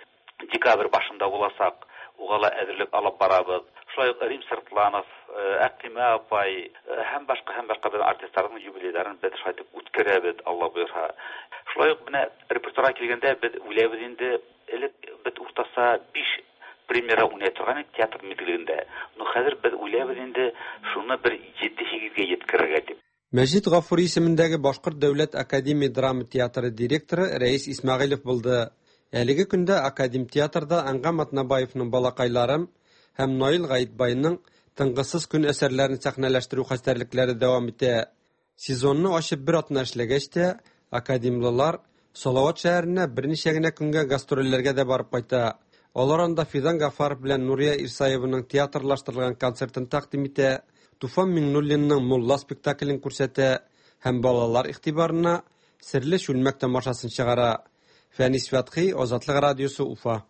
Декабрь башында буласак, уга ла әзерлек алып барабыз. Шулай ук Рим Сыртланов, Әклимә апай һәм башка һәм башка бер артистларның юбилейларын без шулай итеп үткәрәбез, Алла боерса. Шулай ук менә репертуарга килгәндә без уйлайбыз инде, элек без уртаса биш премьера уйнай торган идек театр мизгелендә. Но хәзер без уйлайбыз инде шуны бер җиде-сигезгә җиткерергә дип. Мәҗит Гафури исемендәге Башкорт дәүләт академия драма театры директоры Рәис Исмәгыйлев булды. Әлеге көндә академ театрда Әнгам Атнабаевның Балакайларым һәм Наил Гаитбайның Тынгысыз көн әсәрләрен сәхнәләштерү хәстәрлекләре дәвам итә. Сезонны ачып бер атна эшләгәч тә, академлылар Салават шәһәренә берничә генә көнгә гастрольләргә дә барып кайта. Алар анда Фидан Гафаров белән Нурия Ирсаеваның театрлаштырылган концертын тәкъдим итә, Туфан Миңнуллинның Мулла спектаклен күрсәтә һәм балалар игътибарына Серле чүлмәк тамашасын чыгара. Фәнис Фәтхи, Азатлык радиосы, Уфа.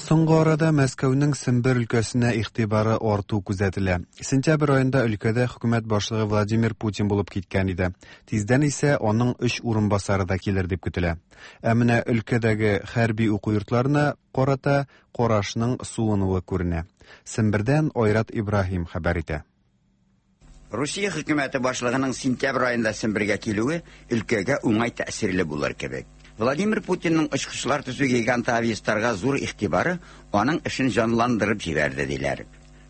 Соңгы арада Мәскәүнең Сембер өлкәсенә игътибары арту күзәтелә. Сентябрь аенда өлкәдә хөкүмәт башлыгы Владимир Путин булып киткән иде. Тиздән исә аның өч урынбасары да килер дип көтелә. Ә менә өлкәдәге хәрби уку йортларына карата карашның суынуы күренә. Сембердән Айрат Ибраһим хәбәр итә. Русия хөкүмәте башлыгының сентябрь аенда Сембергә килүе өлкәгә уңай тәэсирле булыр кебек. Владимир Путинның очкычлар төзү гиганты Авиастарга зур игътибары аның эшен җанландырып җибәрде диләр.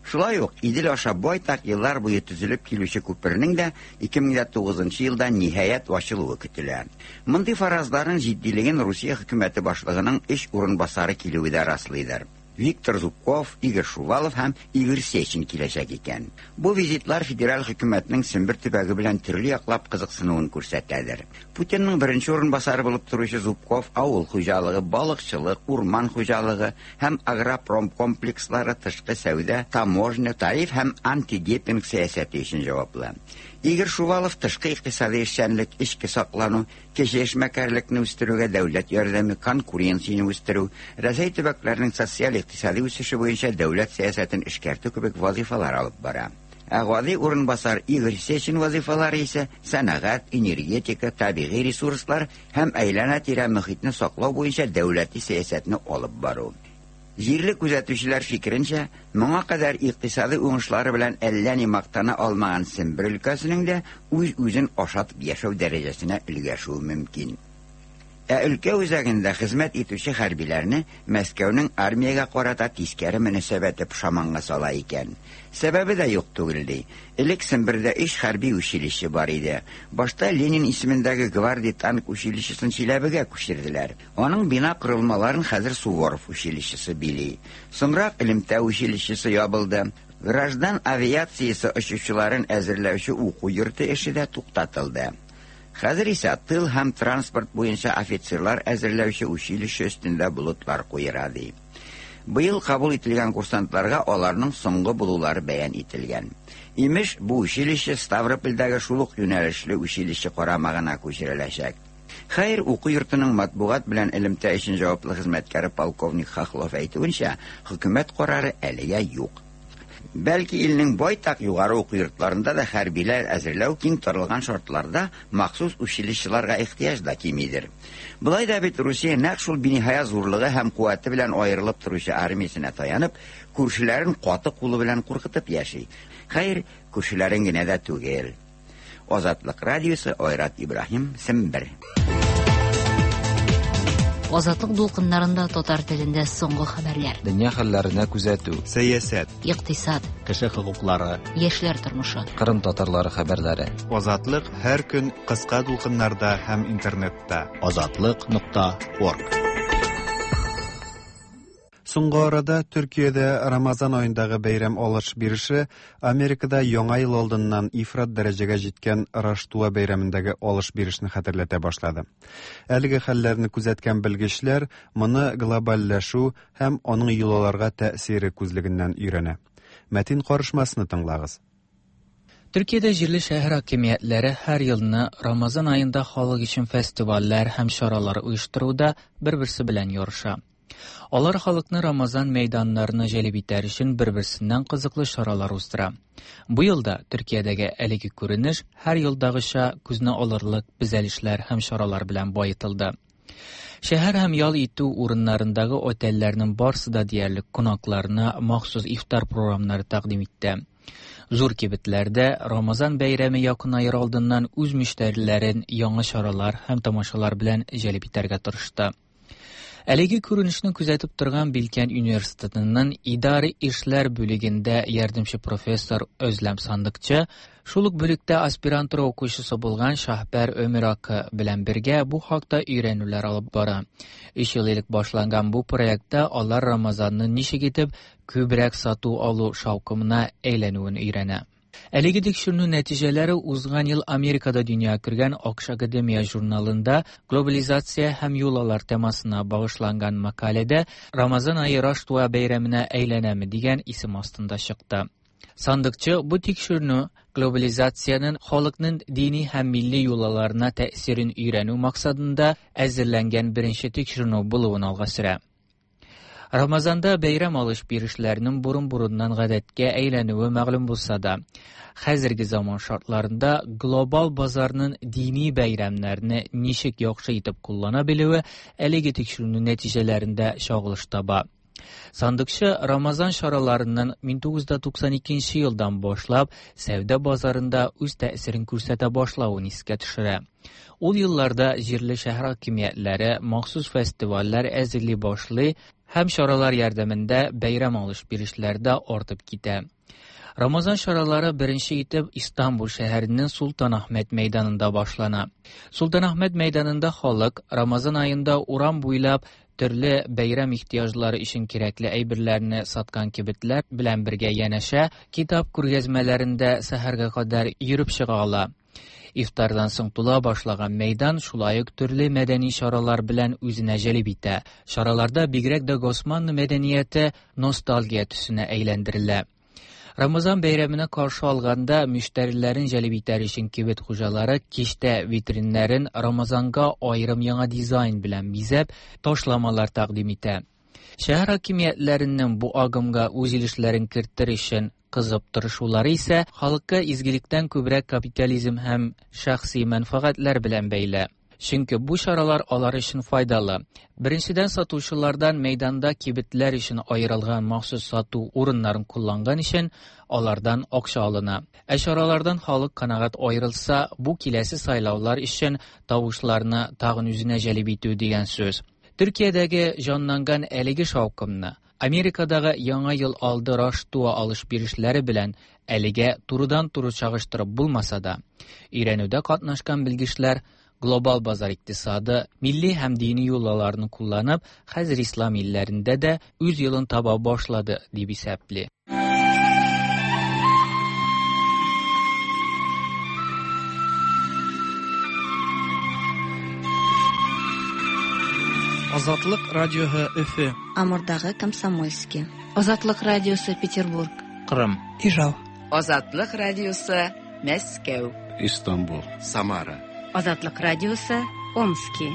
Шулай ук Идел аша байтак еллар буе төзелеп килүче күпернең дә ике мең тугызынчы елда ниһаять ачылуы көтелә. Мондый фаразларның җитдилеген Русия хөкүмәте башлыгының өч урынбасары килүе дә раслыйдыр. Виктор Зубков, Игорь Шувалов һәм Игорь Сечин киләчәк икән. Бу визитлар федераль хөкүмәтнең Сембер төбәге белән төрле яклап кызыксынуын күрсәтәдер. Путинның беренче урынбасары булып торучы Зубков авыл хуҗалыгы, балыкчылык, урман хуҗалыгы һәм агропром комплекслары, тышкы сәүдә, таможня, тариф һәм антидепинг сәясәте өчен җаваплы. Игорь Шувалов тышкы икътисади эшчәнлек, эчке саклану, кече эшмәкәрлекне үстерүгә дәүләт ярдәме, конкуренцияне үстерү, Рәсәй төбәкләренең социаль икътисади үсеше буенча дәүләт сәясәтен эшкәртү кебек вазифалар алып бара. Ә гади урынбасар Игорь Сечин вазифалары исә сәнәгать, энергетика, табигый ресурслар һәм әйләнә-тирә мөхитне саклау буенча дәүләти сәясәтне алып бару. Җирле күзәтүчеләр фикеренчә, моңа кадәр икътисади уңышлары белән әллә ни мактана алмаган Сембер өлкәсенең дә үз-үзен ашатып яшәү дәрәҗәсенә өлгәшүе мөмкин. Ә өлкә үзәгендә хезмәт итүче хәрбиләрне Мәскәүнең армиягә карата тискәре мөнәсәбәте пошаманга сала икән. Сәбәбе дә юк түгел ди. Элек Сембердә өч хәрби училище бар иде. Башта Ленин исемендәге гвардия танк училищесын Чиләбегә күчерделәр. Аның бина корылмаларын хәзер Суворов училищесы били. Соңрак элемтә училищесы ябылды. Граждан авиациясе очучыларын әзерләүче уку йорты эше дә туктатылды. Хәзер исә тыл һәм транспорт буенча офицерлар әзерләүче училище өстендә болытлар куера ди. Быел кабул ителгән курсантларга аларның соңгы булулары бәян ителгән. Имеш, бу училище Ставропольдәге шул ук юнәлешле училище карамагына күчереләчәк. Хәер, уку йортының матбугат белән элемтә өчен җаваплы хезмәткәре полковник Хохлов әйтүенчә, хөкүмәт карары әлегә юк. Бәлки илнең байтак югары уку йортларында да хәрбиләр әзерләү киң таралган шартларда махсус училищеларга ихтыяҗ да кимидер. Болай да бит Русия нәкъ шул биниһая зурлыгы һәм куәте белән аерылып торучы армиясенә таянып, күршеләрен каты кулы белән куркытып яши. Хәер, күршеләрен генә дә түгел. Азатлык радиосы, Айрат Ибраһим, Сембер. Азатлык дулкыннарында татар телендә соңгы хәбәрләр. Дөнья хәлләренә күзәтү, сәясәт, икътисад, кеше хокуклары, яшьләр тормышы, Кырым татарлары хәбәрләре. Азатлык һәр көн кыска дулкыннарда һәм интернетта. Азатлык нокта орг. Соңгы арада Төркиядә Рамазан аендагы бәйрәм алыш-биреше Америкада Яңа ел алдыннан ифрат дәрәҗәгә җиткән Раштуа бәйрәмендәге алыш-бирешне хәтерләтә башлады. Әлеге хәлләрне күзәткән белгечләр моны глобальләшү һәм аның йолаларга тәэсире күзлегеннән өйрәнә. Мәтин карышмасны тыңлагыз. Төркиядә җирле шәһәр хакимиятләре һәр елны Рамазан аенда халык өчен фестивальләр һәм чаралар оештыруда бер-берсе белән ярыша. Алар халыкны Рамазан мәйданнарына җәлеп итәр өчен бер-берсеннән кызыклы чаралар уздыра. Бу елда Төркиядәге әлеге күренеш һәр елдагыча күзне алырлык бизәлешләр һәм чаралар белән баетылды. Шәһәр һәм ял итү урыннарындагы отельләрнең барсы да диярлек кунакларына махсус ифтар програмнары тәкъдим итте. Зур кибетләрдә Рамазан бәйрәме якынаер алдыннан үз мөштәриләрен яңа чаралар һәм тамашалар белән җәлеп итәргә тырышты. Әлеге күренешне күзәтеп торган Билкән университетының идари эшләр бүлегендә ярдәмче профессор Özlem Сандыкчы, шул ук бүлектә аспирантура укучысы булган Шаһбәр Өмиракы белән бергә бу хакта өйрәнүләр алып бара. Өч ел элек башланган бу проектта алар Рамазанны ничек итеп күбрәк сату алу шаукымына әйләнүен өйрәнә. Әлеге тикшеренү нәтиҗәләре узган ел Америкада дөнья күргән Акш Академия журналында глобализация һәм йолалар темасына багышланган мәкаләдә Рамазан ае Раштуа бәйрәменә әйләнәме дигән исем астында чыкты. Сандыкчы бу тикшеренү глобализациянең халыкның дини һәм милли йолаларына тәэсирен өйрәнү максатында әзерләнгән беренче тикшеренү булуын алга сөрә. Рамазанда бәйрәм алыш-бирешләренең борын-борыннан гадәткә әйләнүе мәгълүм булса да, хәзерге заман шартларында глобал базарның дини бәйрәмнәрне ничек яхшы итеп куллана белүе әлеге тикшеренү нәтиҗәләрендә чагылыш таба. Сандыкчы Рамазан чараларының мең тугыз йөз туксан икенче елдан башлап сәүдә базарында үз тәэсирен күрсәтә башлавын искә төшерә. Ул елларда җирле шәһәр хакимиятләре махсус фестивальләр әзерли башлый һәм чаралар ярдәмендә бәйрәм алыш-бирешләр дә артып китә. Рамазан чаралары беренче итеп Истанбул шәһәренең Султанахмет мәйданында башлана. Султанахмет мәйданында халык Рамазан аенда урам буйлап төрле бәйрәм ихтыяҗлары өчен кирәкле әйберләрне саткан кибетләр белән бергә янәшә китап күргәзмәләрендә сәхәргә кадәр йөреп чыга ала. Ифтардан соң тула башлаган мәйдан шулай ук төрле мәдәни чаралар белән үзенә җәлеп итә. Чараларда бигрәк дә Госманлы мәдәнияте ностальгия төсенә әйләндерелә. Рамазан бәйрәменә каршы алганда мөштәриләрен җәлеп итәр өчен кибет хуҗалары кичтә витриннәрен Рамазанга аерым яңа дизайн белән бизәп, ташламалар тәкъдим итә. Шәһәр хакимиятләренең бу агымга үз өлешләрен кертер өчен кызып тырышулары исә халыкка изгелектән күбрәк капитализм һәм шәхси мәнфәгатьләр белән бәйле. Чөнки бу чаралар алар өчен файдалы. Беренчедән, сатучылардан мәйданда кибетләр өчен аерылган махсус сату урыннарын кулланган өчен алардан акча алына. Ә чаралардан халык канәгать аерылса, бу киләсе сайлаулар өчен тавышларны тагын үзенә җәлеп итү дигән сүз. Төркиядәге җанланган әлеге шаукымны Америкадагы Яңа ел алды Раштуа алыш-бирешләре белән әлегә турыдан-туры чагыштырып булмаса да, өйрәнүдә катнашкан белгечләр глобал базар икътисады, милли һәм дини юлларны кулланып, хәзер ислам илләрендә дә үз юлын таба башлады дип исәпли. Азатлык радиоһы Өфө. Амурдагы Комсомольский. Азатлык радиосы Петербург. Кырым. Ижау. Азатлык радиосы Мәскәү. Истанбул. Самара. Азатлык радиосы Омски.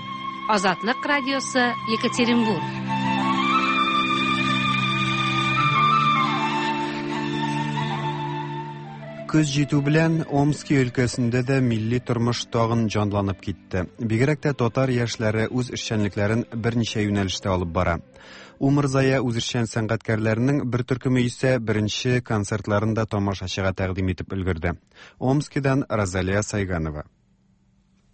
Азатлык радиосы Екатеринбург. Көз җитү белән Омски өлкәсендә дә милли тормыш тагын җанланып китте. Бигрәк тә татар яшьләре үз эшчәнлекләрен берничә юнәлештә алып бара. Умырзая үзешчән сәнгатькәрләренең бер төркеме исә беренче концертларын да тамашачыга тәкъдим итеп өлгерде. Омскидан Розалия Сайганова.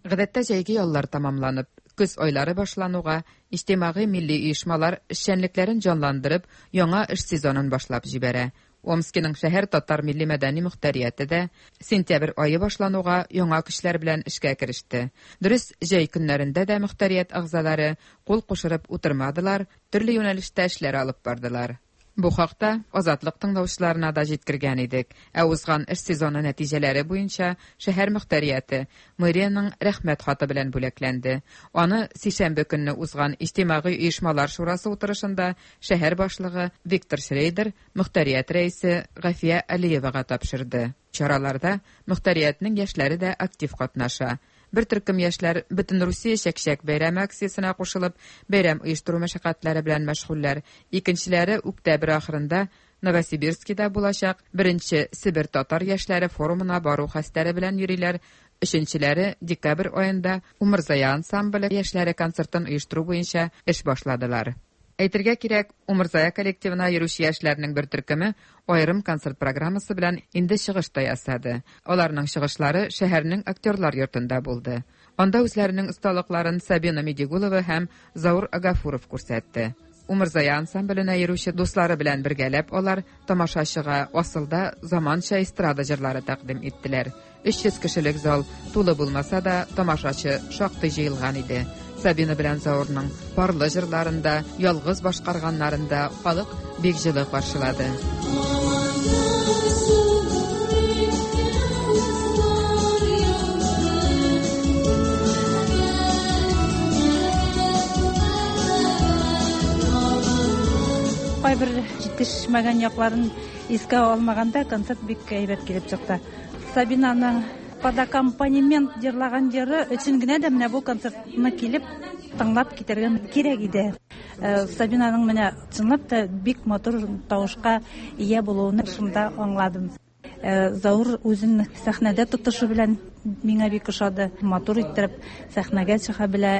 Гадәттә җәйге яллар тамамланып, көз айлары башлануга иҗтимагый милли оешмалар эшчәнлекләрен җанландырып, яңа эш сезонын башлап җибәрә. Омскиның шәһәр татар милли мәдәни мөхтәрияте дә сентябрь ае башлануга яңа көчләр белән эшкә кереште. Дөрес, җәй көннәрендә дә мөхтәрият әгъзалары кул кушырып утырмадылар, төрле юнәлештә эшләр алып бардылар. Бу хакта Азатлык тыңлаучыларына да җиткергән идек. Ә узган эш сезоны нәтиҗәләре буенча шәһәр мөхтәрияте мэриянең рәхмәт хаты белән бүләкләнде. Аны сишәмбе көнне узган иҗтимагый оешмалар шурасы утырышында шәһәр башлыгы Виктор Шрейдер мөхтәрият рәисе Гафия Алиевага тапшырды. Чараларда мөхтәриятнең яшьләре дә актив катнаша. Бер төркем яшьләр бөтен Русия чәкчәк бәйрәме акциясенә кушылып, бәйрәм оештыру мәшәкатьләре белән мәшгульләр. Икенчеләре октябрь ахырында Новосибирскида булачак беренче Себер татар яшьләре форумына бару хәстәре белән йөриләр. Өченчеләре декабрь аенда Умырзая ансамбле яшьләре концертын оештыру буенча эш башладылар. Әйтергә кирәк, Умырзая коллективына йөрүче яшьләрнең бер төркеме аерым концерт программасы белән инде чыгыш та ясады. Аларның чыгышлары шәһәрнең актерлар йортында булды. Анда үзләренең осталыкларын Сабина Медигулова һәм Заур Агафуров күрсәтте. Умырзая ансамбленә йөрүче дуслары белән бергәләп алар тамашачыга асылда заманча эстрада җырлары тәкъдим иттеләр. өч йөз кешелек зал тулы булмаса да, тамашачы шактый җыелган иде. Сабина белән Заурның парлы җырларында, ялгыз башкарганнарында халык бик җылы каршылады. Кайбер җитешмәгән якларын искә алмаганда концерт бик әйбәт килеп чыкты. Сабинаның под аккомпанемент җырлаган җыры өчен генә дә менә бу концертны килеп тыңлап китәргә кирәк иде. Сабинаның менә чынлап та бик матур тавышка ия булуын шунда аңладым. Заур үзен сәхнәдә тотышы белән миңа бик ошады. Матур иттереп сәхнәгә чыга белә,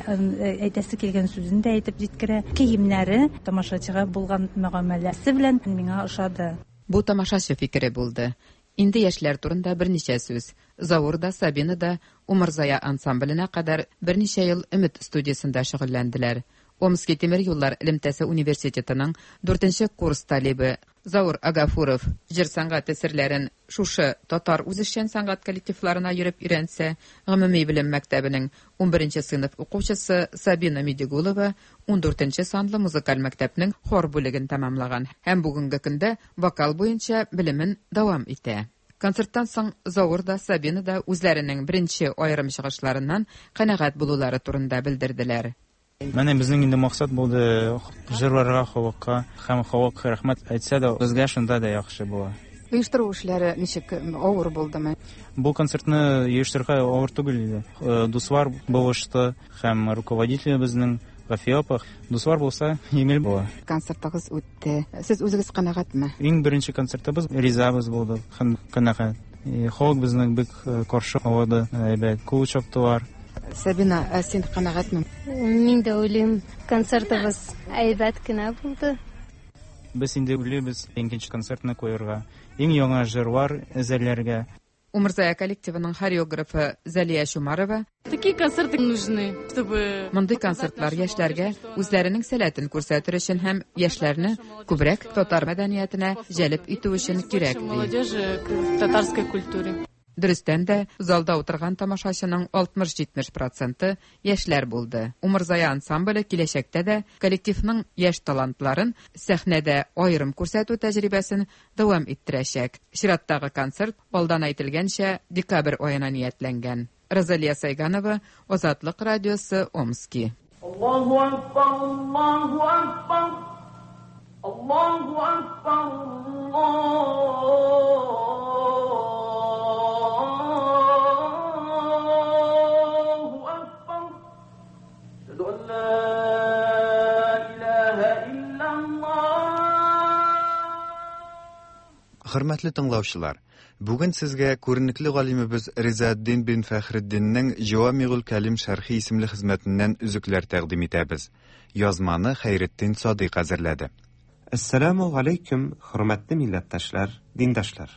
әйтәсе килгән сүзен дә әйтеп җиткерә. Киемнәре тамашачыга булган мөгамәләсе белән миңа ошады. Бу тамашачы фикере булды. Инде яшьләр турында берничә сүз. Заур да, Сабина да Умырзая ансамбленә кадәр берничә ел Өмет студиясендә шөгыльләнделәр. Омски тимер юллар элемтәсе университетының дүртенче курс талибы Заур Агафуров җыр сәнгате серләрен шушы татар үзешчән сәнгать коллективларына йөреп өйрәнсә, гомуми белем мәктәбенең унберенче сыйныф укучысы Сабина Медигулова ундүртенче санлы музыкаль мәктәпнең хор бүлеген тәмамлаган һәм бүгенге көндә вокал буенча белемен дәвам итә. Концерттан соң Заур да, Сабина да үзләренең беренче аерым чыгышларыннан канәгать булулары турында белдерделәр. Менә безнең инде максат булды җырларга, халыкка һәм халык рәхмәт әйтсә дә, безгә шунда да яхшы була. Оештыру эшләре ничек, авыр булдымы? Бу концертны оештырырга авыр түгел иде. Дуслар булышты һәм руководитель безнең Гафия апа. Дуслар булса, җиңел була. Концертыгыз үтте. Сез үзегез канәгатьме? Иң беренче концертыбыз ризабыз булды һәм канәгать. Халык безне бик каршы алды, әйбәт кул чаптылар. Сабина, ә син канәгатьме? Мин дә уйлыйм, концертыбыз әйбәт кенә булды. Без инде уйлыйбыз икенче концертны куярга, иң яңа җырлар әзерләргә. Умырзая коллективының хореографы Зәлия Чумарова: Такие концерты нужны, чтобы Мондый концертлар яшьләргә үзләренең сәләтен күрсәтер өчен һәм яшьләрне күбрәк татар мәдәниятенә җәлеп итү өчен кирәк, ди. Молодежи к татарской культуре. Дөрестән дә, залда утырган тамашачының алтмыш-җитмеш проценты яшьләр булды. Умырзая ансамбле киләчәктә дә коллективның яшь талантларын сәхнәдә аерым күрсәтү тәҗрибәсен дәвам иттерәчәк. Чираттагы концерт алдан әйтелгәнчә декабрь аена ниятләнгән. Розалия Сайганова, Азатлык радиосы, Омски. Allahu Akbar, Allahu Akbar, Allahu Akbar, Allahu Akbar. Ashhadu an la ilaha illallah. Хөрмәтле тыңлаучылар, бүген сезгә күренекле галимебез Ризаэддин бин Фәхретдиннең Җавамигул Кәлим шәрхи исемле хезмәтеннән өзекләр тәкъдим итәбез. Язманы Хәйретдин Садыйк әзерләде. Әссәламу алейкум, хөрмәтле милләттәшләр, диндәшләр.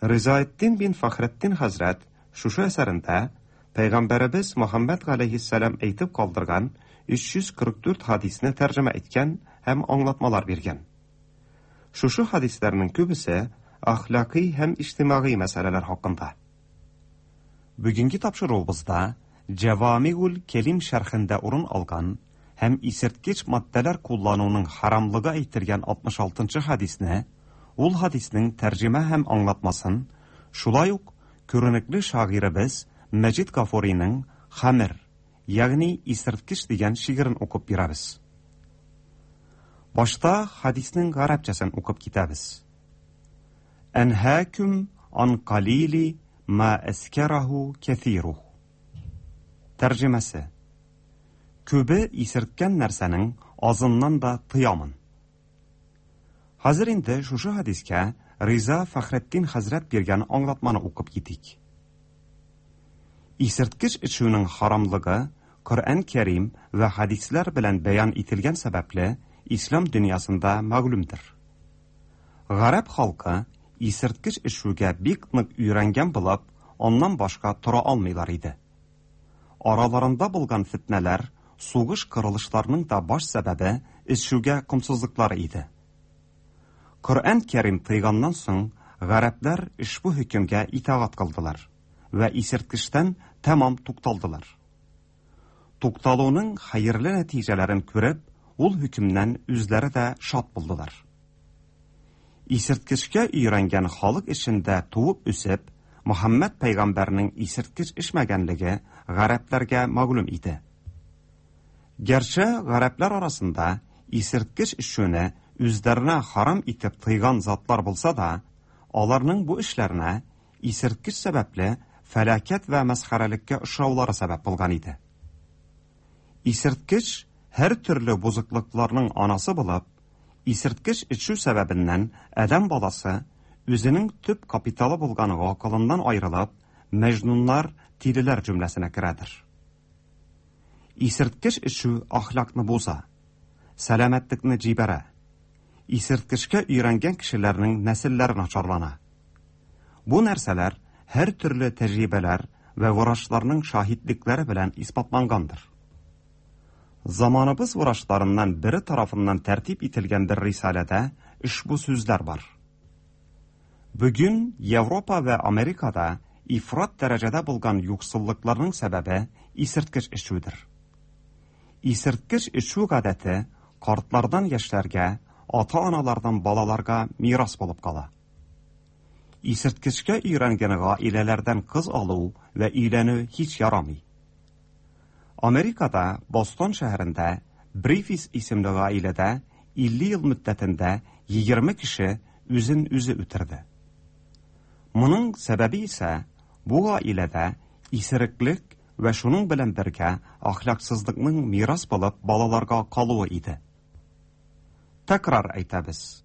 Ризаэддин бин Фәхретдин хәзрәт шушы әсәрендә Пәйгамбәребез Мөхәммәд галәйһиссәлам әйтеп калдырган өч йөз кырык дүрт хадисне тәрҗемә иткән һәм аңлатмалар биргән. Шушы хадисләрнең күбесе әхлакый һәм иҗтимагый мәсьәләләр хакында. Бүгенге тапшыруыбызда Җавамигул Кәлим шәрхендә урын алган һәм исерткеч матдәләр куллануның харамлыгы әйтелгән алтмыш алтынчы хадисне, ул хадиснең тәрҗемә һәм аңлатмасын, шулай ук күренекле шагыйребез Мәҗид Гафуриның Хамер, ягъни исерткеч дигән шигырен укып бирәбез. Башта хадиснең гарәпчәсен укып китәбез. Әнһәкүм ан қалили ма әскәрәһу кәҫируһ. Тәрҗемәсе: Күбе исерткән нәрсәнең азыннан да тыямын. Хәзер инде шушы хадискә Риза Фәхретдин хәзрәт биргән аңлатманы укып китик. Исерткеч эчүнең харамлыгы Коръән Кәрим вә хадисләр белән бәян ителгән сәбәпле ислам дөньясында мәгълүмдер. Гарәп халкы исерткеч эчүгә бик нык өйрәнгән булып, аннан башка тора алмыйлар иде. Араларында булган фитнәләр, сугыш кырылышларының да баш сәбәбе эчүгә комсызлыклары иде. Коръән Кәрим тыйганнан соң, гарәпләр ошбу хөкемгә итагать кылдылар вә исерткечтән тәмам тукталдылар. Тукталуның хәерле нәтиҗәләрен күреп, ул хөкемнән үзләре дә шат булдылар. Исерткечкә өйрәнгән халык эчендә туып үсеп, Мөхәммәд пәйгамбәрнең исерткеч эчмәгәнлеге гарәпләргә мәгълүм иде. Гәрчә гарәпләр арасында исерткеч эчүне үзләренә харам итеп тыйган затлар булса да, аларның бу эшләренә исерткеч сәбәпле фәлакәт вә мәсхәрәлеккә очраулары сәбәп булган иде. Исерткеч һәр төрле бозыклыкларның анасы булып, исерткеч эчү сәбәбеннән адәм баласы үзенең төп капиталы булган гакылыннан аерылып, мәҗнуннар, тилеләр җөмләсенә керәдер. Исерткеч эчү әхлакны боза, сәламәтлекне җибәрә. Исерткечкә өйрәнгән кешеләрнең нәселләре начарлана. Бу нәрсәләр һәр төрле тәҗрибәләр вә врачларның шаһитлекләре белән исбатлангандыр. Заманыбыз врачларыннан бире тарафыннан тәртип ителгән бер рисаләдә ошбу сүзләр бар. Бүген Европа вә Америкада ифрат дәрәҗәдә булган юксыллыкларның сәбәбе исерткеч эчүдер. Исерткеч эчү гадәте картлардан яшьләргә, ата-аналардан балаларга мирас булып кала. Исерткечкә өйрәнгән гаиләләрдән кыз алу вә өйләнү һич ярамый. Америкада Бостон шәһәрендә Брифис исемле гаиләдә илле ел мөддәтендә егерме кеше үзен үзе үтерде. Моның сәбәбе исә бу гаиләдә исереклек вә шуның белән бергә әхлаксызлыкның мирас булып балаларга калуы иде. Тәкрар әйтәбез.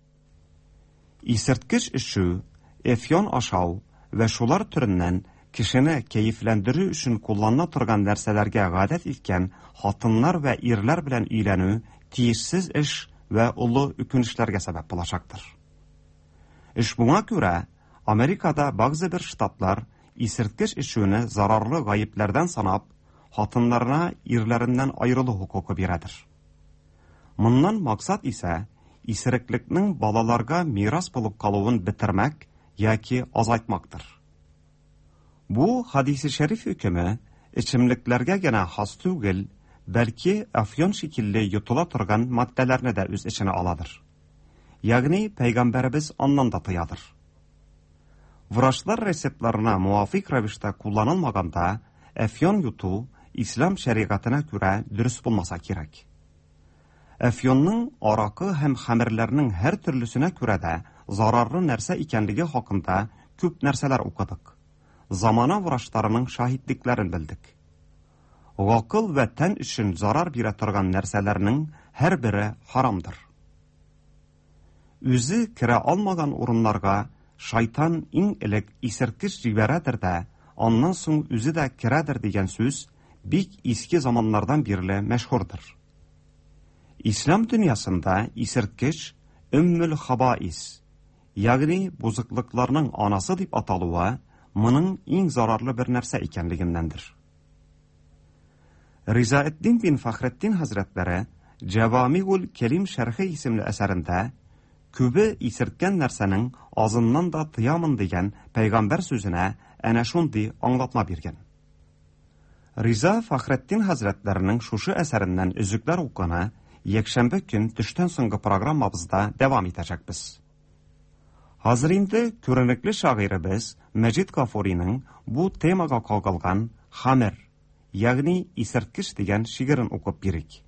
Исерткеч эчү, эфьон ашау вә шулар төреннән кешене кәефләндерү өчен кулланыла торган нәрсәләргә гадәт иткән хатыннар вә ирләр белән өйләнү тиешсез эш вә олы үкенечләргә сәбәп булачактыр. Эш моңа күрә Америкада бәгъзе бер штатлар исерткеч эчүне зарарлы гаепләрдән санап, хатыннарына ирләреннән аерылу хокукы бирәдер. Моннан максат исә исереклекнең балаларга мирас булып калуын бетермәк яки азайтмактыр. Бу хадисе шәриф хөкеме эчемлекләргә генә хас түгел, бәлки афьон шикелле йотыла торган матдәләрне дә үз эченә аладыр. Ягъни пәйгамбәребез аннан да тыядыр. Врачлар рецептларына муафик рәвештә кулланылмаганда, әфьон йоту ислам шәригатенә күрә дөрес булмаса кирәк. Әфьонның аракы һәм хәмерләрнең һәр төрлесенә күрә дә зарарлы нәрсә икәнлеге хакында күп нәрсәләр укыдык. Замана врачларының шаһитлекләрен белдек. Гакыл вә тән өчен зарар бирә торган нәрсәләрнең һәрбере харамдыр. Үзе керә алмаган урыннарга шайтан иң элек исерткеч җибәрәдер дә, аннан соң үзе дә керәдер дигән сүз бик иске заманнардан бирле мәшһүрдер. Ислам дөньясында исерткеч өммül хабаис, ягъни бузыклыкларның анасы дип аталуы моның иң зарарлы бер нәрсә икәнлегеннәндер. Ризаэддин бин Фахретдин хәзрәтләре Җавамигул Кәлим шәрхе исемле әсәрендә күбе исерткән нәрсәнең азыннан да тыямын дигән пәйгамбәр сүзенә әнә шундый аңлатма биргән. Риза Фахретдин хәзрәтләренең шушы әсәреннән өзекләр укуны якшәмбе көн төштән соңгы программабызда дәвам итәчәкбез. Хәзер инде күренекле шагыйребез Мәҗит Гафуриның бу темага кагылган Хамер, ягъни исерткеч дигән шигырен укып бирик.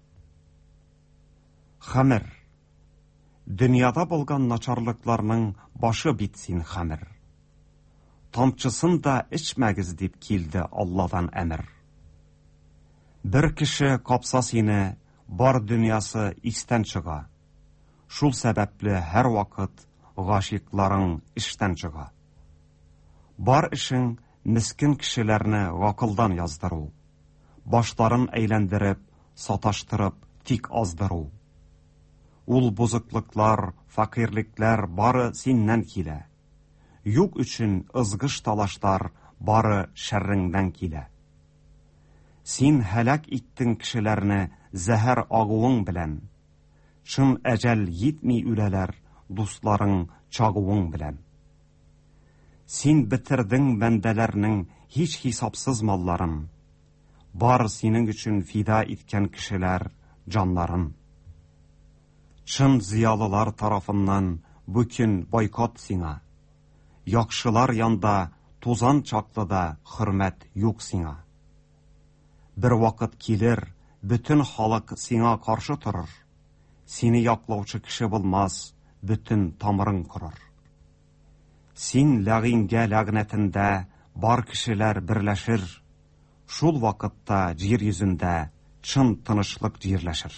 Хамер. Дөньяда булган начарлыкларның башы бит син, хамер. Тамчысын да эчмәгез дип килде Алладан әмер. Бер кеше капса сине, бар дөньясы истән чыга. Шул сәбәпле һәр вакыт гашыйкларың эштән чыга. Бар эшең мискин кешеләрне гакылдан яздыру, башларын әйләндереп, саташтырып, тик аздыру. Ул бузыклыклар, фәкыйрьлекләр бары синнән килә. Юк өчен ызгыш талашлар бары шәрреңдән килә. Син һәлак иттең кешеләрне зәһәр агуың белән. Чын әҗәл йитми үләләр дусларың чагуың белән. Син бетердең бәндәләрнең һич хисапсыз малларын. Бар синең өчен фида иткән кешеләр җаннарын. Чын зыялылар тарафыннан бу көн бойкот сиңа. Яхшылар янда тузан чаклы да хөрмәт юк сиңа. Бер вакыт килер, бөтен халык сиңа каршы торыр. Сине яклаучы кеше булмас, бөтен тамырың корыр. Син ләгыйнгә ләгънәтендә бар кешеләр берләшер. Шул вакытта җир йөзендә чын тынычлык җирләшер.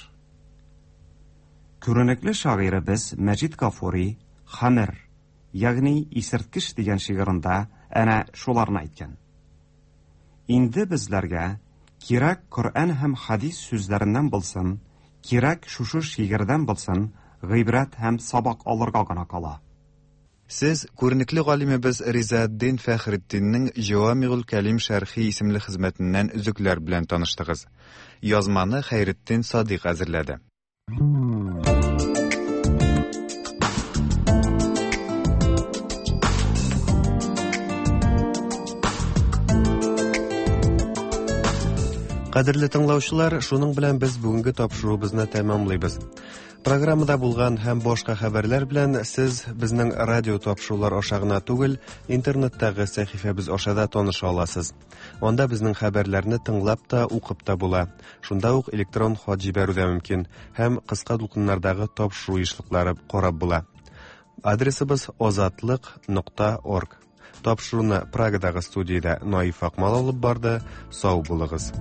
Күренекле шагыйребез Мәҗит Гафури Хамер, ягъни исерткеч дигән шигырендә әнә шуларны әйткән. Инде безләргә кирәк Коръән һәм хадис сүзләреннән булсын, кирәк шушы шигырдән булсын, гыйбрәт һәм сабак алырга гына кала. Сез күренекле галимебез Ризаэддин Фәхретдиннең Җавамигул Кәлим шәрхи исемле хезмәтеннән өзекләр белән таныштыгыз. Язманы Хәйретдин Садыйк әзерләде. Кадерле тыңлаучылар, шуның белән без бүгенге тапшыруыбызны тәмамлыйбыз. Программада булган һәм башка хәбәрләр белән сез безнең радио тапшырулар аша гына түгел, интернеттагы сәхифәбез аша да таныша аласыз. Анда безнең хәбәрләрне тыңлап та, укып та була. Шунда ук электрон хат җибәрү дә мөмкин һәм кыска дулкыннардагы тапшыру ешлыклары карап була. Адресыбыз озатлык нокта орг. Тапшыруны Прагадагы студиядә Наиф Акмал алып барды. Сау булыгыз.